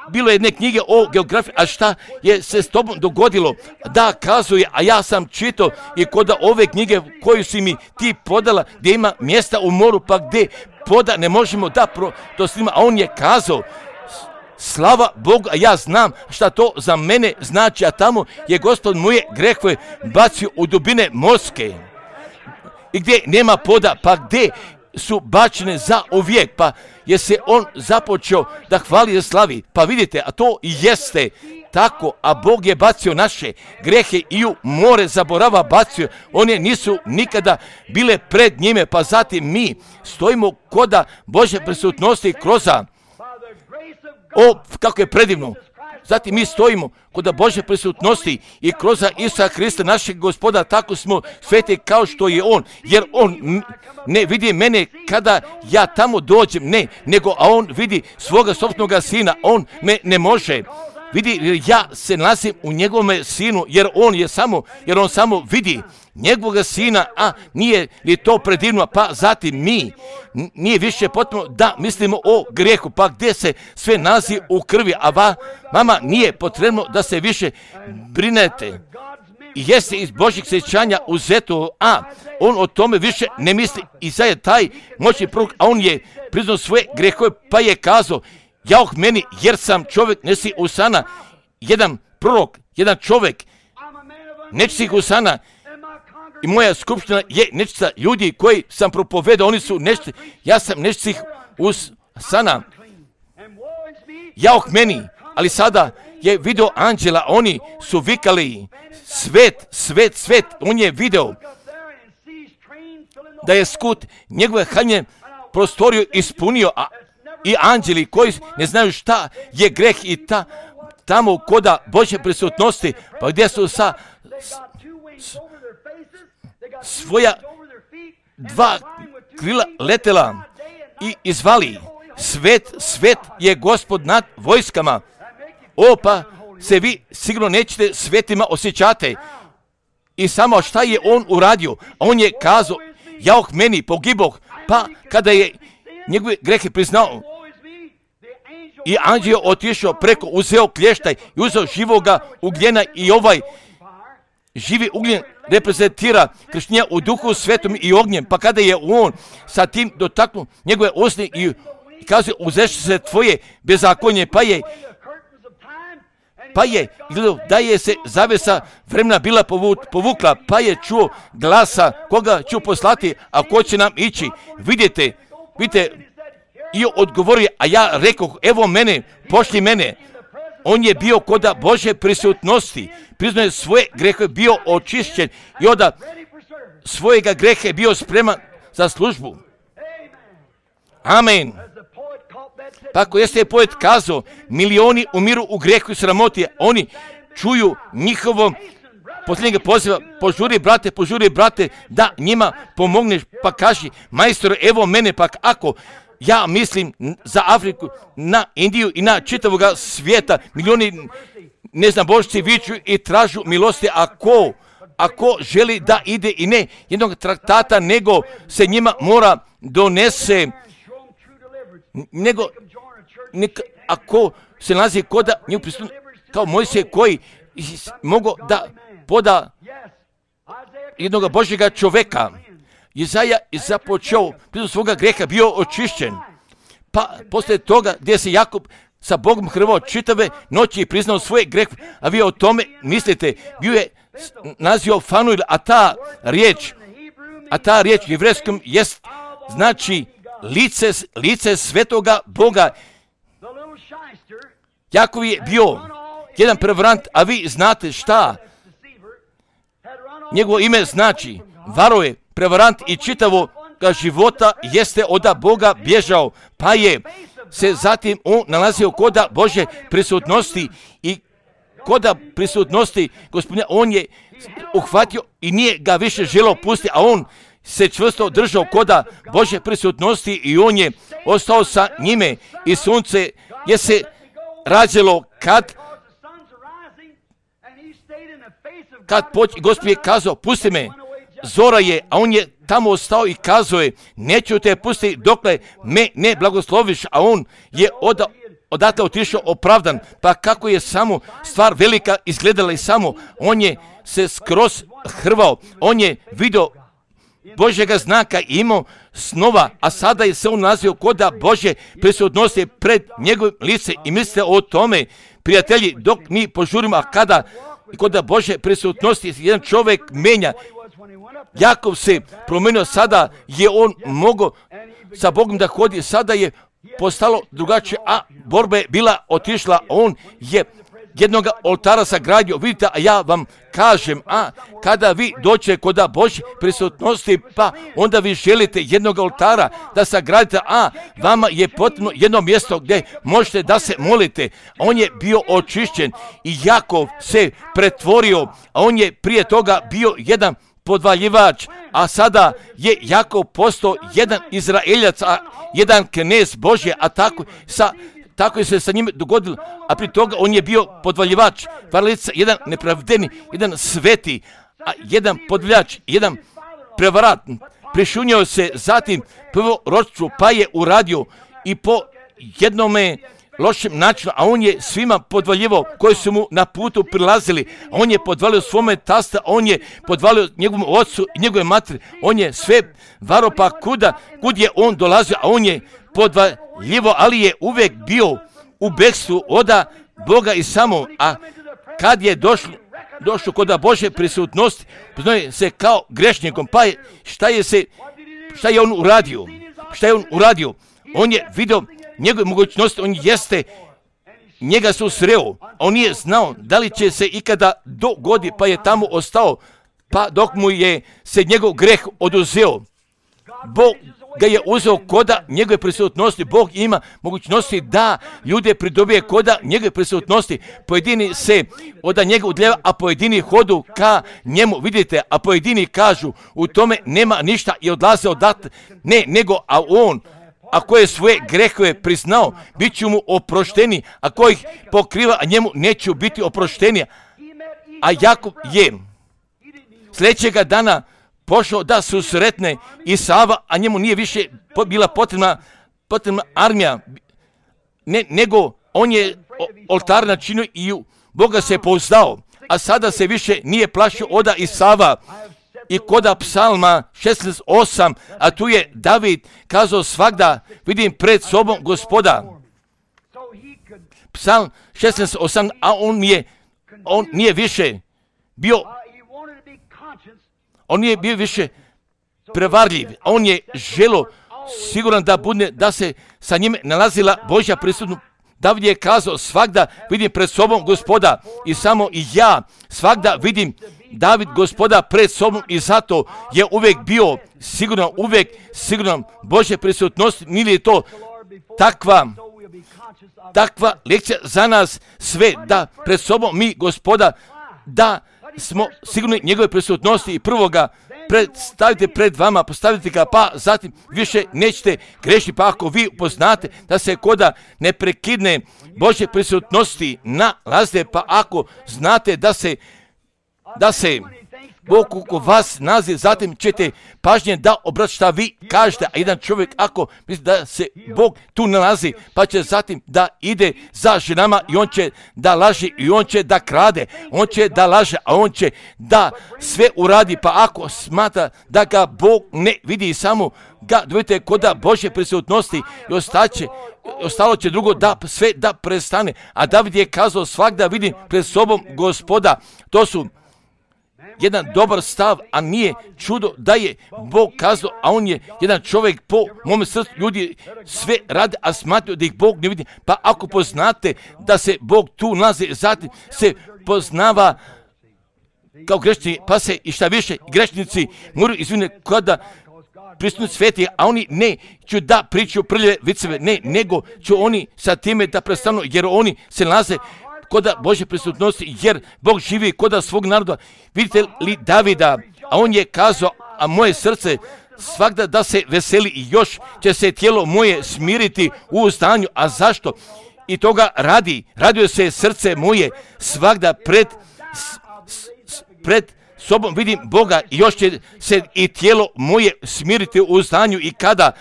bilo je jedne knjige o geografiji, a šta je se s tobom dogodilo, da kazuje, a ja sam čitao i kod ove knjige koju si mi ti podala, gdje ima mjesta u moru, pa gdje poda ne možemo da pro, to snima, a on je kazao, slava Bogu, a ja znam šta to za mene znači, a tamo je Gospod moje grehove bacio u dubine morske. I gdje nema poda, pa gdje su bačene za uvijek, pa je se on započeo da hvali i slavi. Pa vidite, a to i jeste tako, a Bog je bacio naše grehe i u more zaborava bacio. One nisu nikada bile pred njime, pa zatim mi stojimo koda Božje prisutnosti kroza. O, kako je predivno. Zatim mi stojimo kod Božje prisutnosti i kroz Isusa Hrista, našeg Gospoda, tako smo sveti kao što je On, jer On ne vidi mene kada ja tamo dođem, ne, nego a On vidi svoga sopstvenog Sina, On me ne može. Vidi, ja se nalazim u njegovome Sinu, jer On je samo, jer On samo vidi njegovog Sina, a nije li to predivno, pa zatim mi, nije više potrebno da mislimo o grijehu, pa gdje se sve nalazi u krvi, a va, vama nije potrebno da se više brinete. I jeste iz Božjeg sjećanja uzeto, a on o tome više ne misli i sad je taj moćni prorok, a on je priznao svoje grehove, pa je kazao, jauh meni, jer sam čovjek nesi usana, jedan prorok, jedan čovjek nečistih usana, i moja skupština je nečista ljudi koji sam propovedao, oni su nečiti, ja sam nečistih usana. Jauh meni, ali sada je video anđela, oni su vikali, svet, svet, svet, on je video da je skut njegove haljne prostoriju ispunio, a i anđeli koji ne znaju šta je greh i ta, tamo koda Božje prisutnosti, pa gdje su sa s, svoja dva krila letela i izvali, svet, svet je Gospod nad vojskama. O, pa se vi sigurno nećete svetima osjećate. I samo šta je on uradio? On je kazao, jauh meni, pogiboh, pa kada je njegove grehe priznao, i anđeo otišao preko, uzeo klještaj i uzeo živoga ugljena i ovaj živi ugljen reprezentira krštenja u duhu svetom i ognjem, pa kada je on sa tim dotaknuo njegove usne i kaže, uzeš se tvoje bezakonje, pa je pa je gledao da je se zavesa vremena bila povukla, pa je čuo glasa, koga ću poslati, a ko će nam ići. Vidite, vidite, i odgovorio, a ja rekoh, evo mene, pošli mene. On je bio koda Božje prisutnosti, priznao je svoje grehe, bio očišćen i onda svojega grehe bio spreman za službu. Amen. Pa ako jeste je poet kazao, milioni umiru u grehu i sramoti, oni čuju njihovom posljednjeg poziva, požuri brate, požuri brate, da njima pomogneš, pa kaži, majstore, evo mene, pa ako ja mislim za Afriku, na Indiju i na čitavoga svijeta, milioni neznabošci viču i tražu milosti, ako, ako želi da ide i ne jednog traktata, nego se njima mora donese, nego, nek, ako se nalazi koda nju pristupno, kao Mojsije koji mogu da poda jednog Božjega čoveka. Izaja je započeo, pritom svoga greha bio očišćen. Pa poslije toga gdje se Jakub sa Bogom hrvao čitave noći i priznao svoje grehe, a vi o tome mislite, bio je nazio Fanuil, a ta riječ, a ta riječ u jevrejskom jest, znači lice, lice svetoga Boga. Jakov je bio jedan prevarant, a vi znate šta njegovo ime znači, varo je, prevarant i čitavo života jeste od Boga bježao, pa je se zatim on nalazio koda Božje prisutnosti i koda prisutnosti Gospodina, on je uhvatio i nije ga više želeo pustiti, a on se čvrsto držao koda Božje prisutnosti i on je ostao sa njime i sunce je se rađelo kad kad poć, Gospod je kazao, pusti me, zora je, a on je tamo ostao i kazao je, neću te pustiti dokle me ne blagosloviš, a on je od, odatle otišao opravdan, pa kako je samo stvar velika izgledala i samo, on je se skroz hrvao, on je vidio Božjega znaka i imao snova, a sada je se on nazio koda Božje prisutnosti pred njegovim lice i mislite o tome, prijatelji, dok mi požurimo, a kada koda Božje prisutnosti jedan čovjek menja, Jakov se promenio, sada je on mogao sa Bogom da hodi, sada je postalo drugačije, a borba je bila otišla, on je jednog oltara sagradio, vidite, a ja vam kažem, a kada vi dođete kod Božje prisutnosti, pa onda vi želite jednog oltara da sagradite, a vama je potrebno jedno mjesto gdje možete da se molite. On je bio očišćen i Jakov se pretvorio, a on je prije toga bio jedan podvaljivač, a sada je Jakov postao jedan Izraeljac, a jedan knez Božje, a tako sa Tako je se sa njim dogodilo, a pri toga on je bio podvaljivač, varalica, jedan nepravdeni, jedan sveti, a jedan podvaljač, jedan prevarat. Prišunjao se zatim prvoročstvu, pa je uradio i po jednome lošem načinu, a on je svima podvaljivao koji su mu na putu prilazili. On je podvalio svome tasta, on je podvalio njegovom ocu i njegove materi, on je sve varo, pa kuda, kud je on dolazio, a on je podvaljivo, ali je uvijek bio u bekstvu oda Boga i samo, a kad je došlo, došlo kod Božje prisutnosti, poznaje se kao grešnikom, pa je, šta je se, šta je on uradio? Šta je on uradio? On je vidio njegove mogućnosti, on jeste, njega su sreo, on nije znao da li će se ikada dogodi, pa je tamo ostao, pa dok mu je se njegov greh oduzeo. Bog ga je uzeo koda njegove prisutnosti. Bog ima mogućnosti da ljude pridobije koda njegove prisutnosti. Pojedini se od njega udljeva, a pojedini hodu ka njemu. Vidite, a pojedini kažu u tome nema ništa i odlaze odat. Ne, nego, a on, ako je svoje grehove priznao, bit će mu oprošteni. Ako ih pokriva, a njemu neće biti oprošteni. A Jakov je sljedećega dana pošao da susretne Isava, a njemu nije više bila potrebna, potrebna armija, ne, nego on je oltar načinio i u Boga se pouzdao, a sada se više nije plašio oda Isava. I koda psalma šesnaest osam, a tu je David kazao svagda, vidim pred sobom Gospoda. Psalm šesnaest osam, a on je, on nije više bio On nije bio više prevarljiv, on je želo siguran da bude, da se sa njime nalazila Božja prisutnost. David je kazao svagda vidim pred sobom Gospoda i samo i ja svagda vidim David Gospoda pred sobom i zato je uvijek bio sigurno, uvijek sigurno Božje prisutnost. Nije to takva, takva lekcija za nas sve da pred sobom mi Gospoda, da smo sigurni njegove prisutnosti i prvo ga predstavite pred vama, postavite ga, pa zatim više nećete grešiti, pa ako vi poznate da se koda neprekidne Božje prisutnosti nalaze, pa ako znate da se, da se Bog oko vas nalazi, zatim ćete pažnje da obrati šta vi kažete, a jedan čovjek ako misli da se Bog tu nalazi, pa će zatim da ide za ženama i on će da laže i on će da krade, on će da laže, a on će da sve uradi, pa ako smatra da ga Bog ne vidi, samo ga dovedite kod Božje prisutnosti i ostaće, ostalo će drugo da sve da prestane. A David je kazao svagda vidim pred sobom Gospoda. To su jedan dobar stav, a nije čudo da je Bog kazao, a on je jedan čovjek po mome srcu, ljudi sve rade, a smatraju da ih Bog ne vidi. Pa ako poznate da se Bog tu nalazi, zatim se poznava kao grešnici, pa se i šta više grešnici moraju izviniti kada prisutni sveti, a oni ne ću da pričaju prljave viceve, ne, nego ću oni sa time da prestanu, jer oni se nalaze koda Božje prisutnosti, jer Bog živi koda svog naroda. Vidite li Davida, a on je kazao, a moje srce svagda da se veseli i još će se tijelo moje smiriti u uzdanju. A zašto? I toga radi, radio se srce moje svagda pred, s, pred sobom vidim Boga i još će se i tijelo moje smiriti u uzdanju i kada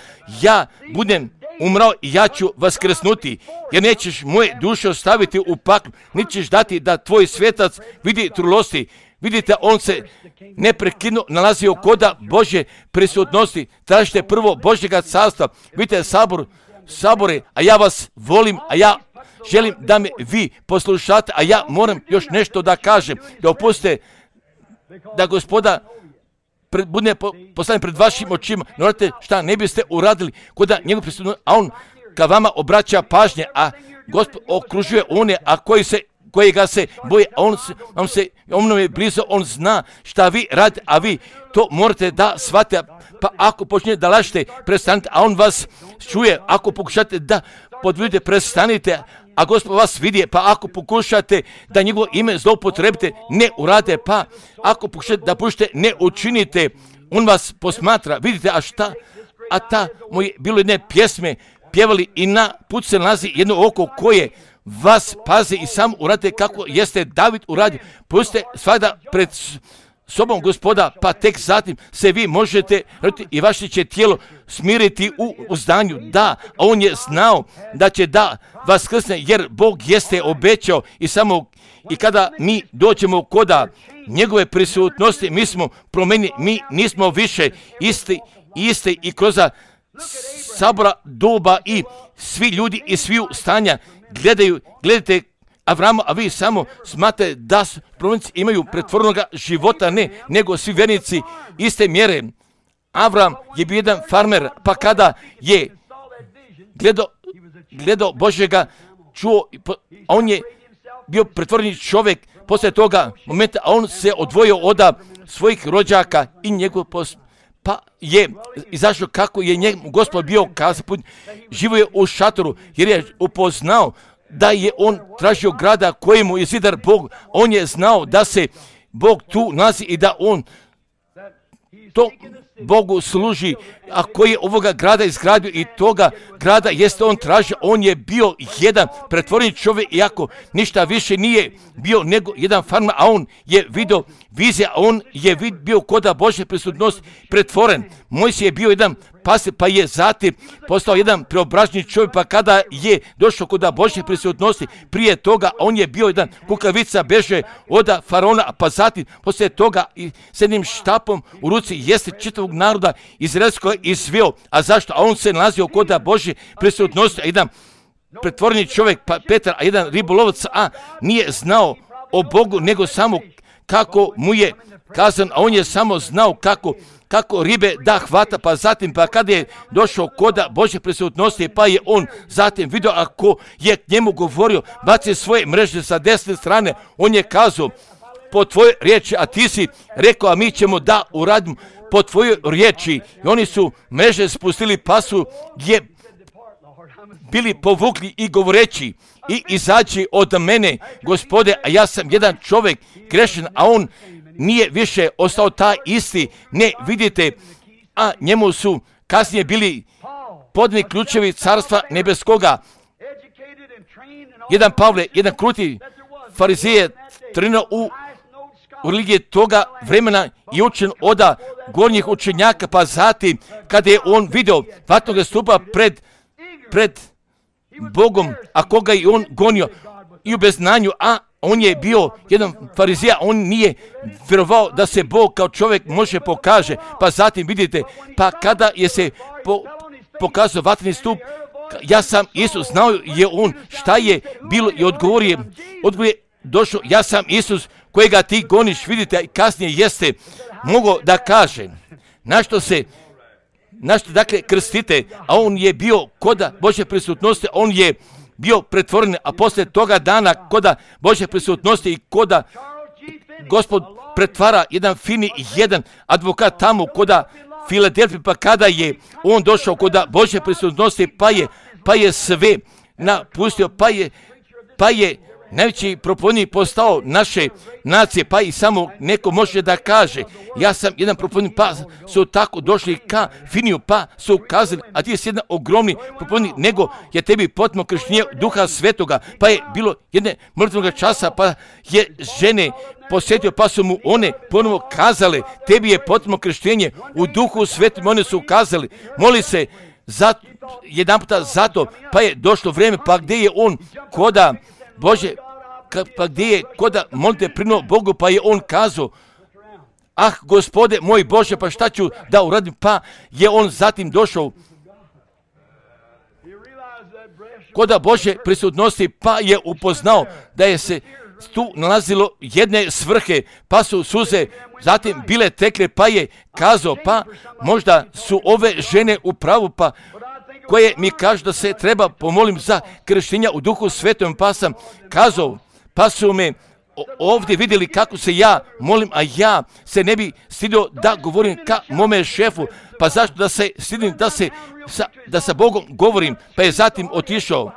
ja budem umrao i ja ću vaskrsnuti, jer nećeš moje duše ostaviti u paklu, niti ćeš dati da tvoj svetac vidi trulosti. Vidite, on se neprekidno nalazio koda Božje prisutnosti. Tražite prvo Božjega carstva. Vidite, sabor, sabore, a ja vas volim, a ja želim da me vi poslušate, a ja moram još nešto da kažem. Da opustite da Gospoda pred, bude postavljen pred vašim očima, ne morate šta ne biste uradili kod njegov prisutnost, a on ka vama obraća pažnje, a Gospod okružuje one, a koji se koji ga se boje, on, on, se, on je blizu, on zna šta vi radite, a vi to morate da shvatite. Pa ako počnete da lažete, prestanite, a on vas čuje. Ako pokušate da podvidite, prestanite, a Gospod vas vidi. Pa ako pokušate da njegovo ime zloupotrebite, ne urade. Pa ako pokušate da pušite, ne učinite. On vas posmatra. Vidite, a šta? A ta moje bilo jedne pjesme pjevali i na put se nalazi jedno oko koje vas pazi i sam uradite kako jeste David uradio. Pustite svada pred sobom Gospoda, pa tek zatim se vi možete i vaše će tijelo smiriti u uzdanju. Da, on je znao da će da vaskrsne, jer Bog jeste obećao i samo i kada mi dođemo koda njegove prisutnosti, mi smo promenili, mi nismo više isti, isti i kroz sabora doba i svi ljudi i sviju stanja gledaju, gledajte Avrama, a vi samo smatrate da promenici imaju pretvorenoga života, ne, nego svi vernici iste mjere. Avram je bio jedan farmer, pa kada je gledao, gledao Božjega, čuo, on je bio pretvoreni čovjek, poslije toga momenta, a on se odvojio od svojih rođaka i njegov post. Pa je izašao kako je njegov Gospod bio kazao, živo je u šatoru, jer je upoznao da je on tražio grada kojemu je zidar Bog. On je znao da se Bog tu nalazi i da on to Bogu služi, a koji je ovoga grada izgradio i toga grada jeste on tražio. On je bio jedan pretvoreni čovjek, iako ništa više nije bio nego jedan farmer, a on je vidio vizija, a on je vid, bio koda Božje prisutnosti pretvoren. Mojsije je bio jedan pastir, pa je zatim postao jedan preobraženi čovjek, pa kada je došao koda Božje prisutnosti, prije toga on je bio jedan kukavica, beže od faraona, pa zatim poslije toga i s jednim štapom u ruci jeste čitavog naroda izraelskog izveo. A zašto? A on se nalazio koda Božje prisutnosti, a jedan pretvoreni čovjek, pa Petar, a jedan ribolovac, a nije znao o Bogu, nego samo kako mu je kazan, a on je samo znao kako kako ribe da hvata, pa zatim, pa kada je došao koda Božje prisutnosti, pa je on zatim vidio ako je k njemu govorio, baci svoje mreže sa desne strane, on je kazao, po tvojoj riječi, a ti si rekao, a mi ćemo da uradimo po tvojoj riječi. I oni su mreže spustili, pa su je bili povukli i govoreći, i izađi od mene, Gospode, a ja sam jedan čovjek grešan, a on nije više ostao taj isti, ne, vidite, a njemu su kasnije bili podni ključevi carstva nebeskoga. Jedan Pavle, jedan kruti farizije trenirao u, u religiji toga vremena i učen od gornjih učenjaka, pa zatim kada je on vidio vatnoga stupa pred, pred Bogom, a koga je on gonio i u beznanju, a on je bio jedan farizija, on nije vjerovao da se Bog kao čovjek može pokaže, pa zatim vidite, pa kada je se po, pokazao vatreni stup, ja sam Isus, znao je on šta je bilo i odgovorio, odgovorio došao, ja sam Isus kojega ti goniš, vidite, kasnije jeste mogao da kaže, na što se na što dakle krstite, a on je bio koda Božje prisutnosti, on je bio pretvoren, a poslije toga dana koda Božje prisutnosti i koda Gospod pretvara jedan fini jedan advokat tamo koda Filadelfije, pa kada je on došao koda Božje prisutnosti, pa je, pa je sve napustio, pa je, pa je najveći propovednik postao naše nacije, pa i samo neko može da kaže, ja sam jedan propovednik, pa su tako došli ka Finiju, pa su kazali, a ti si jedan ogromni propovednik, nego je tebi potpuno krštenje Duha Svetoga, pa je bilo jedne mrtvog časa, pa je žene posjetio, pa su mu one ponovo kazale, tebi je potpuno krštenje u Duhu Svetom, one su kazali, moli se zato, jedan puta zato, pa je došlo vrijeme, pa gdje je on koda Bože, pa gdje je koda molite prinuo Bogu, pa je on kazao, ah, Gospode moj Bože, pa šta ću da uradim, pa je on zatim došao koda Bože prisutnosti, pa je upoznao da je se tu nalazilo jedne svrhe, pa su suze zatim bile tekle, pa je kazao, pa možda su ove žene u pravu, pa koje mi kažu da se treba pomolim za krštenja u duhu svetom, pa sam kazao, pa su me ovdje vidjeli kako se ja molim, a ja se ne bi stidio da govorim ka mome šefu, pa zašto da se stidim da se sa, da sa Bogom govorim, pa je zatim otišao,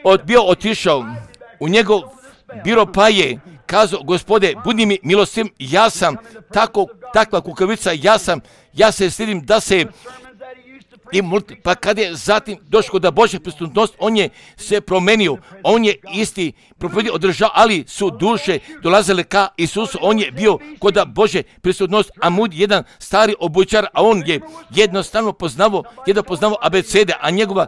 od, bio otišao u njegov biro, pa je kazao, Gospode, budi mi milostiv, ja sam tako, takva kukavica, ja sam, ja se stidim da se i multi, pa kad je zatim došao da Božja prisutnost, on je se promenio, on je isti propovedio održao, ali su duše dolazile ka Isusu, on je bio kod Božje prisutnost, a Moody jedan stari obućar, a on je jednostavno poznavao, jedno poznavao abecede, a njegova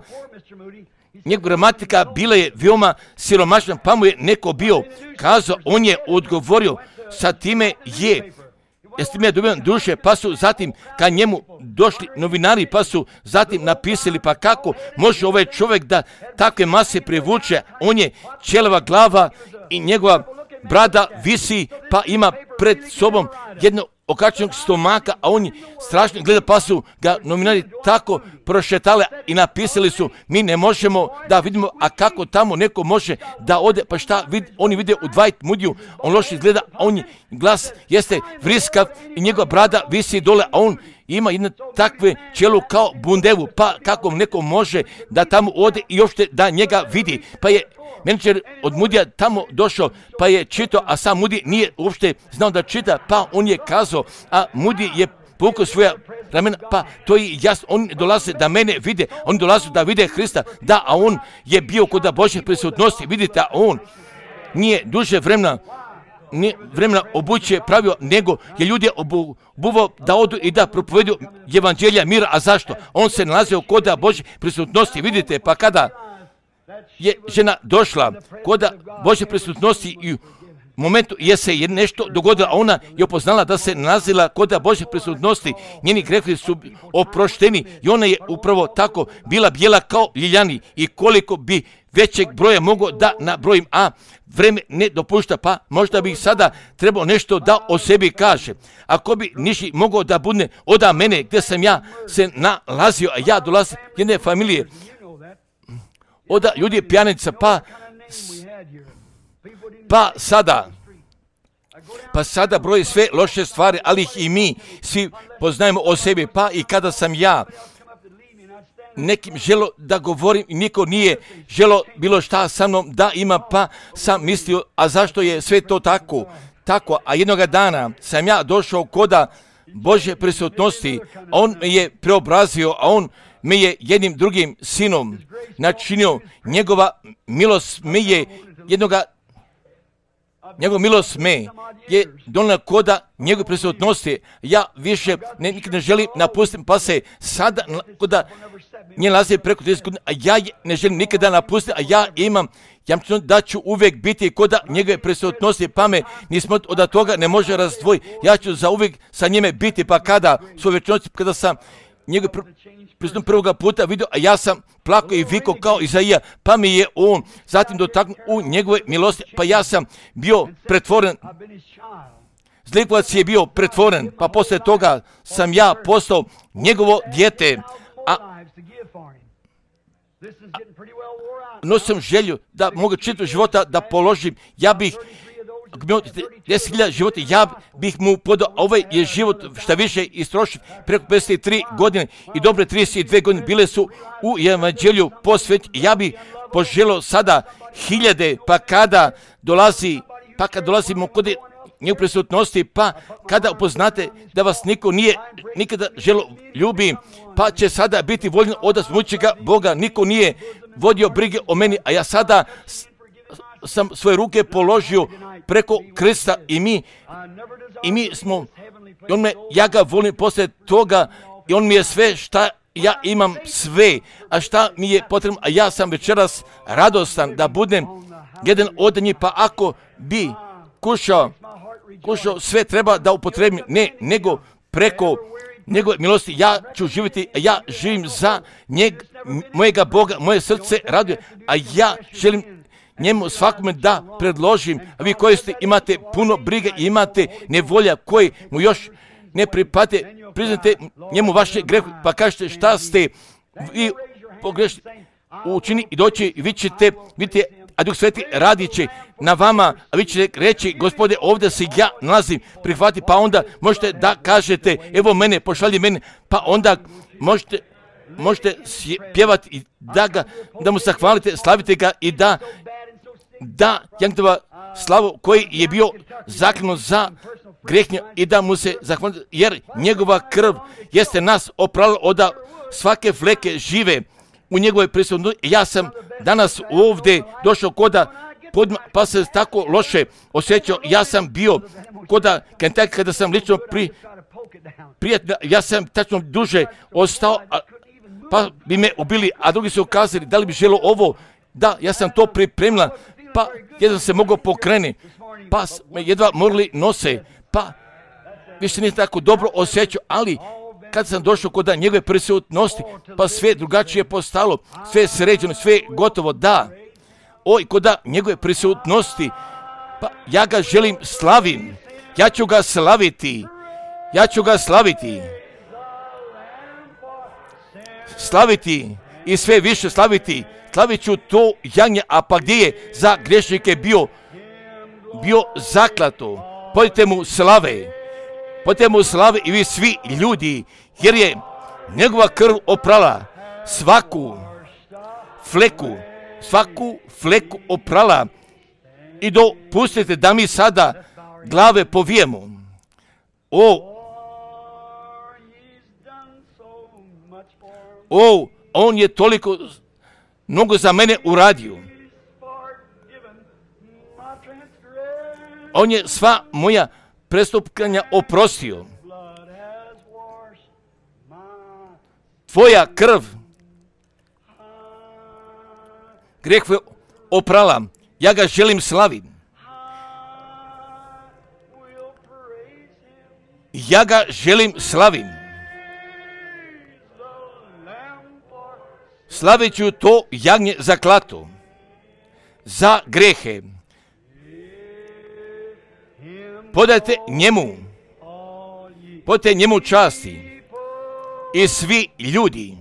njegova gramatika bila je veoma siromašna, pa mu je neko bio kazao, on je odgovorio, sa time je s time je dobivan duše, pa su zatim ka njemu došli novinari, pa su zatim napisali, pa kako može ovaj čovjek da takve mase privuče, on je ćelava glava i njegova brada visi, pa ima pred sobom jedno okačenog stomaka, a on je strašno gleda, pa su ga novinari tako prošetali i napisali su, mi ne možemo da vidimo, a kako tamo neko može da ode, pa šta vid, oni vide u Dwight Moodyju, on loše izgleda, a on je, glas jeste vriskav i njegova brada visi dole, a on ima jedno takve čelu kao bundevu, pa kako neko može da tamo ode i uopšte da njega vidi, pa je menadžer od Moodyja tamo došao, pa je čitao, a sam Moody nije uopšte znao da čita, pa on je kazao, a Moody je povukao svoja ramena, pa to je jasno, oni dolaze da mene vide, oni dolaze da vide Hrista, da, a on je bio kod Božje prisutnosti, vidite, a on nije duže vremena, nije vremena obuće pravio, nego je ljudi obuvao da odu i da propovedu evanđelja mira, a zašto? On se nalazio kod Božje prisutnosti, vidite, pa kada je žena došla kod Božje prisutnosti i u momentu je se je nešto dogodilo, a ona je upoznala da se nalazila kod Božje prisutnosti, njeni grehovi su oprošteni i ona je upravo tako bila bijela kao ljiljani i koliko bi većeg broja mogao da nabrojim, a vreme ne dopušta, pa možda bih sada trebao nešto da o sebi kaže. Ako bi niši mogao da bude od mene gdje sam ja se nalazio, a ja dolazim jedne familije, oda ljudi pijanica, pa, pa sada, pa sada broji sve loše stvari, ali ih i mi svi poznajemo o sebi, pa i kada sam ja nekim želo da govorim i niko nije želo bilo šta sa mnom da ima, pa sam mislio, a zašto je sve to tako, tako, a jednoga dana sam ja došao koda Božje prisutnosti, on me je preobrazio, a on me je jednim drugim sinom načinio, njegova milost me je jednoga, njegova milost me je donijela koda njegove prisutnosti, ja više ne, nikad ne želim napustiti, pa se sada koda nje nalazi preko trideset godina, a ja ne želim nikada napustiti, a ja imam jamčeno da ću uvijek biti koda njegove prisutnosti, pa me nismo od toga ne može razdvojiti, ja ću za uvijek sa njime biti, pa kada svoj večnosti, kada sam njegove prisutnost prvoga puta vidio, a ja sam plakao i vikao kao Izaija, pa mi je on zatim dotaknuo u njegove milosti, pa ja sam bio pretvoren, zlikovac je bio pretvoren, pa poslije toga sam ja postao njegovo dijete, a nosim želju da mogu čitav života da položim, ja bih ako bi imao deset hiljada života, ja bih mu podao, ovaj je život šta više istrošio preko pedeset tri godine i dobre trideset dvije godine bile su u evanđelju posvećene. Ja bih poželio sada hiljade, pa kada dolazi, pa kada dolazimo kod njegove prisutnosti, pa kada upoznate da vas niko nije nikada želo ljubi, pa će sada biti voljen od smućega Boga, niko nije vodio brige o meni, a ja sada sam svoje ruke položio preko krsta i mi i mi smo i on me, ja ga volim poslije toga i on mi je sve šta ja imam sve, a šta mi je potrebno, a ja sam večeras radostan da budem jedan od njih, pa ako bi kušao, kušao sve treba da upotrebim, ne, nego preko njegove milosti ja ću živjeti, a ja živim za njeg, mojega Boga, moje srce raduje, a ja želim njemu svakome da predložim, a vi koji ste imate puno brige i imate nevolja koji mu još ne pripate, priznate njemu vaše greh, pa kažete šta ste vi pogrešni učini i doći i vi ćete, vidite, a Duh Sveti radit će na vama, a vi ćete reći, Gospode, ovdje se ja nalazim, prihvati, pa onda možete da kažete, evo mene, pošalji mene, pa onda možete, možete pjevati i da, ga, da mu zahvalite, slavite ga i da, da Jankova slavu koji je bio zaklinut za grehnje i da mu se zahvalite, jer njegova krv jeste nas oprala od svake fleke žive u njegovoj prisutnosti. Ja sam danas ovdje došao koda, pa se tako loše osjećao. Ja sam bio koda Kentucky kada sam lično pri, prijatno, ja sam tačno duže ostao, a, pa bi me ubili, a drugi su ukazali da li bi želo ovo, da, ja sam to pripremila, pa jedva se mogao pokrenuti, pa me jedva morali nose, pa više nije tako dobro osjećao, ali kad sam došao kod njegove prisutnosti, pa sve drugačije postalo, sve je sređeno, sve je gotovo, da. Oj, kod njegove prisutnosti, pa ja ga želim slavim, ja ću ga slaviti, ja ću ga slaviti, slaviti i sve više slaviti, slavit ću to jagnje, a pa gdje je za grešnike bio, bio zaklato, podite mu slave, podite mu slave i vi svi ljudi, jer je njegova krv oprala svaku fleku, svaku fleku oprala i dopustite da mi sada glave povijemo. O, o, on je toliko mnogo za mene uradio. On je sva moja prestupanja oprostio. Tvoja krv greh oprala. Ja ga želim slaviti. Ja ga želim slaviti. Slavit ću to jagnje za klatu, za grehe. Podajte njemu, podajte njemu časti i svi ljudi,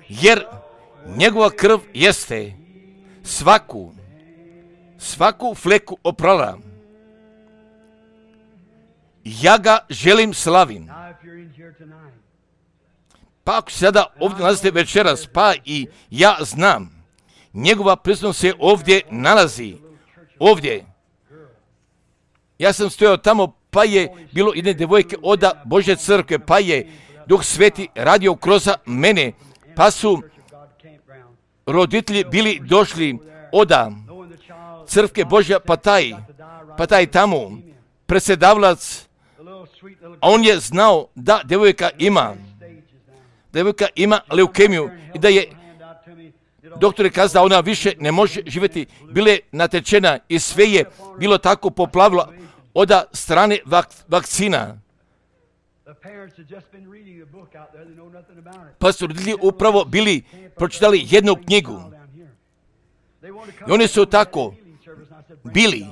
jer njegova krv jeste svaku, svaku fleku oprala. Ja ga želim slavim. Pa ako se sada ovdje nalazite večeras, pa i ja znam, njegova prisutnost se ovdje nalazi, ovdje. Ja sam stojao tamo, pa je bilo jedne devojke od Božje crkve, pa je Duh Sveti radio kroz mene, pa su roditelji bili došli od crkve Božja, pa taj, pa taj tamo predsjedavalac, a on je znao da devojka ima, devojka ima leukemiju i da je doktor je kazao da ona više ne može živjeti, bila je natečena i sve je bilo tako poplavilo od strane vak, vakcina. Pa su roditelji upravo bili pročitali jednu knjigu i oni su tako bili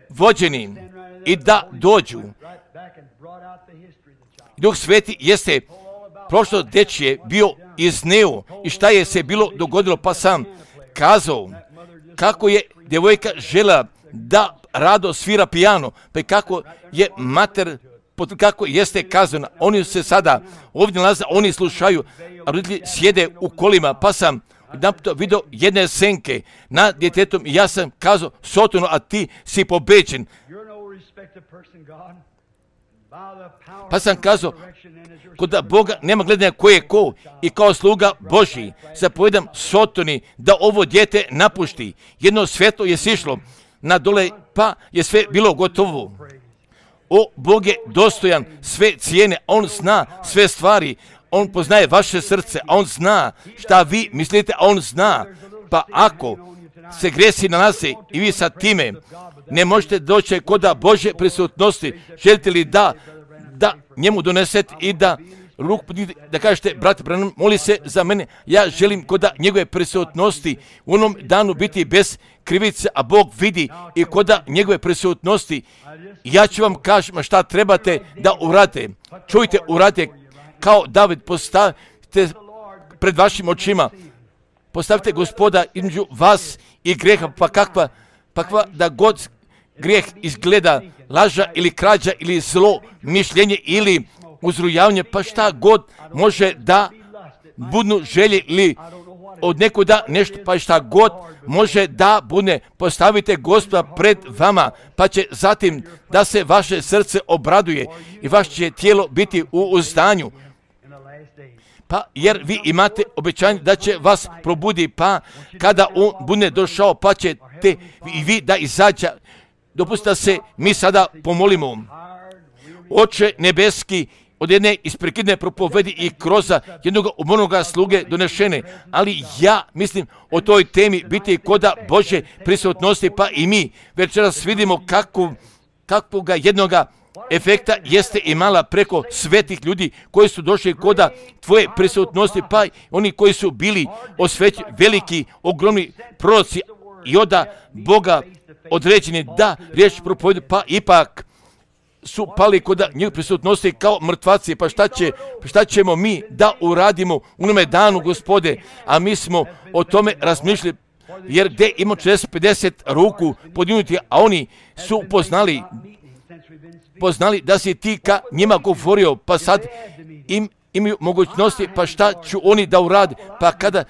vođeni i da dođu. Duh Sveti jeste prošlo dečje bio izneo i šta je se bilo dogodilo, pa sam kazao kako je djevojka žela da rado svira pijano, pa kako je mater, kako jeste kazana. Oni se sada ovdje nalaze, oni slušaju, a roditelji sjede u kolima, pa sam vidio jedne senke nad djetetom i ja sam kazao, Sotono, a ti si pobeđen. Pa sam kazao, kod Boga nema gledanja ko je ko i kao sluga Božji zapovedam Sotoni da ovo dijete napušti. Jedno svjetlo je sišlo na dole, pa je sve bilo gotovo. O, Bog je dostojan sve cijene, on zna sve stvari, on poznaje vaše srce, a on zna šta vi mislite, a on zna. Pa ako se gresi nalaze i vi sa time ne možete doći kod Božje prisutnosti, želite li da, da njemu donesete i da ruku podignite, da kažete, brate Branham, moli se za mene, ja želim kod njegove prisutnosti u onom danu biti bez krivice, a Bog vidi i kod njegove prisutnosti. Ja ću vam kažem šta trebate da uradite. Čujte, uradite kao David, postavite pred vašim očima, postavite Gospoda između vas i greha, pa kakva, pa kakva da god grijeh izgleda, laža ili krađa ili zlo mišljenje ili uzrujavanje, pa šta god može da budnu želje ili od nekuda nešto, pa šta god može da bude, postavite Gospoda pred vama, pa će zatim da se vaše srce obraduje i vaše će tijelo biti u uzdanju. Pa jer vi imate obećanje da će vas probudi, pa kada on bude došao, pa ćete i vi da izađe. Dopustite da se mi sada pomolimo. Oče nebeski, od jedne isprekidne propovedi i kroz jednog umornoga sluge donešene, ali ja mislim o toj temi biti koda Božje prisutnosti, pa i mi večeras vidimo kakvu, kakvoga jednoga efekta jeste imala preko svetih ljudi koji su došli koda tvoje prisutnosti, pa oni koji su bili osvećeni, veliki, ogromni proroci i od Boga određeni da riječ propovedu, pa ipak su pali kod njih prisutnosti kao mrtvaci, pa šta, će, šta ćemo mi da uradimo u onome danu, Gospode, a mi smo o tome razmišljali, jer gdje ima četrdeset pedeset ruku podignuti, a oni su poznali, poznali da si ti ka njima govorio, pa sad im imaju mogućnosti, pa šta ću oni da urade, pa kada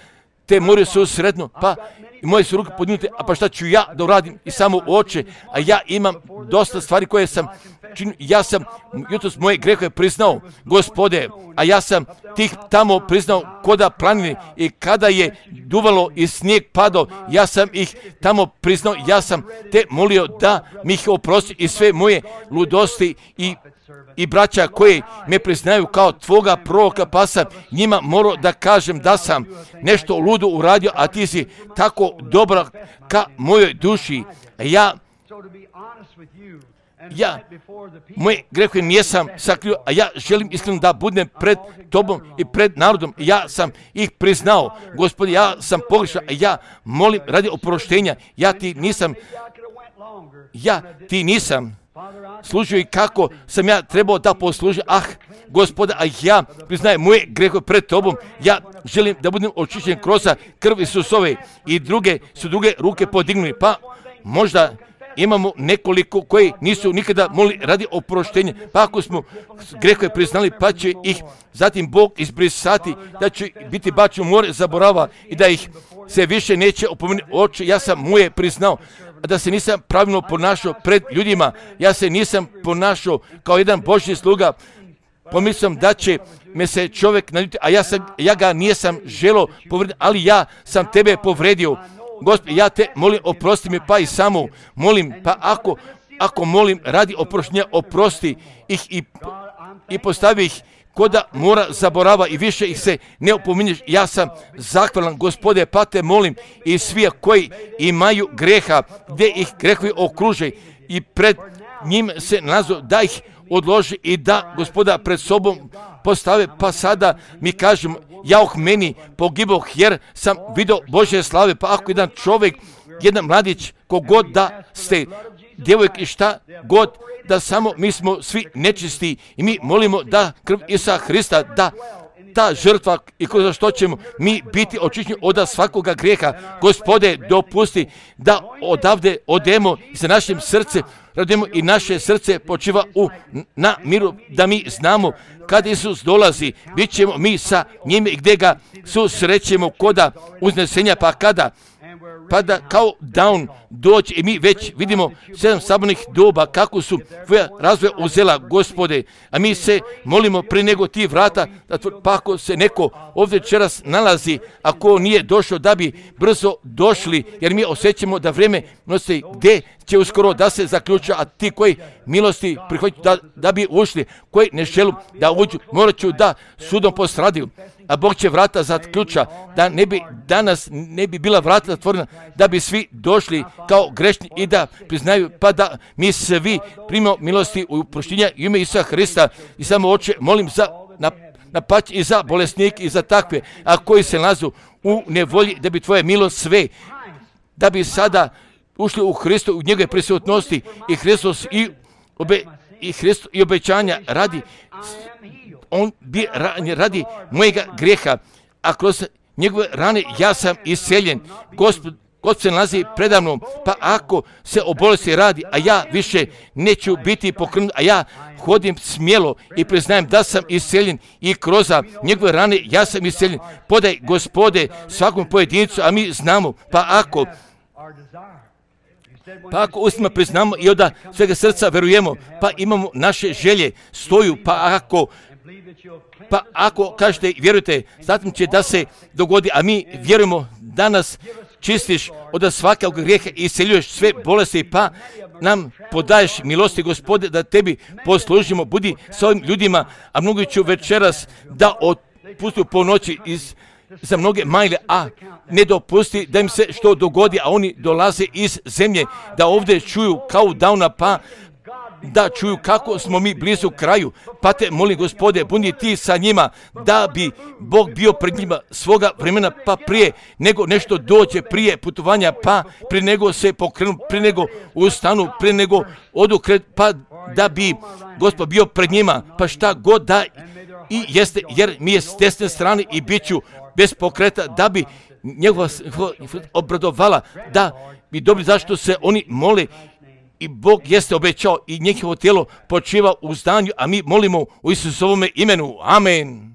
te moraju se usredno, pa i moje su ruke podignute, a pa šta ću ja da uradim i samo oče, a ja imam dosta stvari koje sam činio, ja sam jutros moje grehe priznao, Gospode, a ja sam tih tamo priznao koda planine i kada je duvalo i snijeg padao, ja sam ih tamo priznao, ja sam te molio da mi ih oprosti i sve moje ludosti i i braća koji me priznaju kao tvoga proroka, pa sam njima morao da kažem da sam nešto ludo uradio, a ti si tako dobra ka mojoj duši. Ja, ja, moje grehe nijesam sakrio, a ja želim iskreno da budem pred tobom i pred narodom. Ja sam ih priznao, Gospodi, ja sam pogrešan, a ja molim radi oproštenja. Ja ti nisam, ja ti nisam služio i kako sam ja trebao da poslužim. Ah, Gospode, a ja priznajem moje grehe pred tobom. Ja želim da budem očišćen kroz krv Isusove i druge su druge ruke podignuli. Pa možda imamo nekoliko koji nisu nikada molili radi oproštenja. Pa ako smo grehe priznali, pa će ih zatim Bog izbrisati, da će biti bačen u more zaborava i da ih se više neće opomenuti. Oče, ja sam moje priznao, da se nisam pravilno ponašao pred ljudima, ja se nisam ponašao kao jedan Božji sluga, pomislim da će me se čovjek naljutiti, a ja, sam, ja ga nijesam želio povrediti, ali ja sam tebe povredio. Gospod, ja te molim, oprosti me, pa i samo molim, pa ako, ako molim radi oproštenja, oprosti ih i, i postavi ih koda mora zaborava i više ih se ne opominješ. Ja sam zahvalan, Gospode, pa te molim i svi koji imaju greha, gdje ih grehovi okruže i pred njim se nalazu, da ih odloži i da Gospoda pred sobom postave, pa sada mi kažem, jauh meni pogiboh jer sam vidio Božje slave, pa ako jedan čovjek, jedan mladić, kogod da ste, djevojk i šta god, da samo mi smo svi nečisti i mi molimo da krv Isusa Hrista, da ta žrtva i kroz što ćemo mi biti očišćeni od svakoga grijeha. Gospode, dopusti da odavde odemo sa našim srcem, radimo i naše srce počiva u, na miru, da mi znamo kad Isus dolazi, bit ćemo mi sa njime i gdje ga susrećemo koda uznesenja, pa kada pa da kao down doći i mi već vidimo sedam sabornih doba kako su tvoja razvoja uzela, Gospode, a mi se molimo prije nego ti vrata, da tvoj, pa ako se neko ovdje večeras nalazi, ako nije došao da bi brzo došli, jer mi osjećamo da vrijeme nosi gdje će uskoro da se zaključa, a ti koji milosti prihvaćaju da, da bi ušli, koji ne želu da uđu, morat ću da sudom postradiju, a Bog će vrata zaključa, da ne bi danas ne bi bila vrata zatvorena, da bi svi došli kao grešni i da priznaju, pa da mi svi primimo milosti u proštenja ime Isusa Hrista. I samo, Oče, molim za na napać i za bolesnike i za takve, a koji se nalazu u nevolji, da bi tvoja milost sve, da bi sada ušli u Hristu, u njegove prisutnosti i Hristos i, obe, i, Hristo, i obećanja radi, on bi radi mojega grijeha, a kroz njegove rane ja sam isceljen. Gospod, God se nalazi predavnom, pa ako se o bolesti radi, a ja više neću biti pokrenut, a ja hodim smjelo i priznajem da sam isceljen i kroz njegove rane ja sam isceljen. Podaj, Gospode, svakom pojedincu, a mi znamo, pa ako Pa ako ustima priznamo i od svega srca verujemo, pa imamo naše želje, stoju, pa ako Pa ako kažete, vjerujte, zatim će da se dogodi, a mi vjerujemo da nas čistiš od svakog grijeha i isceljuješ sve bolesti, pa nam podaješ milosti, Gospode, da tebi poslužimo. Budi s ovim ljudima, a mnogi ću večeras da otpustu po noći iz, za mnoge majle, a ne dopusti da im se što dogodi, a oni dolaze iz zemlje, da ovdje čuju kao davna, pa da čuju kako smo mi blizu kraju, pa te molim, Gospode, budi ti sa njima, da bi Bog bio pred njima svoga vremena, pa prije nego nešto dođe, prije putovanja, pa prije nego se pokrenu, prije nego ustanu, prije nego odu kred, pa da bi Gospod bio pred njima, pa šta god da i jeste, jer mi je s desne strane i bit ću bez pokreta, da bi njegova obradovala, da bi dobri zašto se oni mole. I Bog jeste obećao i njihovo tijelo počiva u zdanju, a mi molimo u Isusovome imenu. Amen.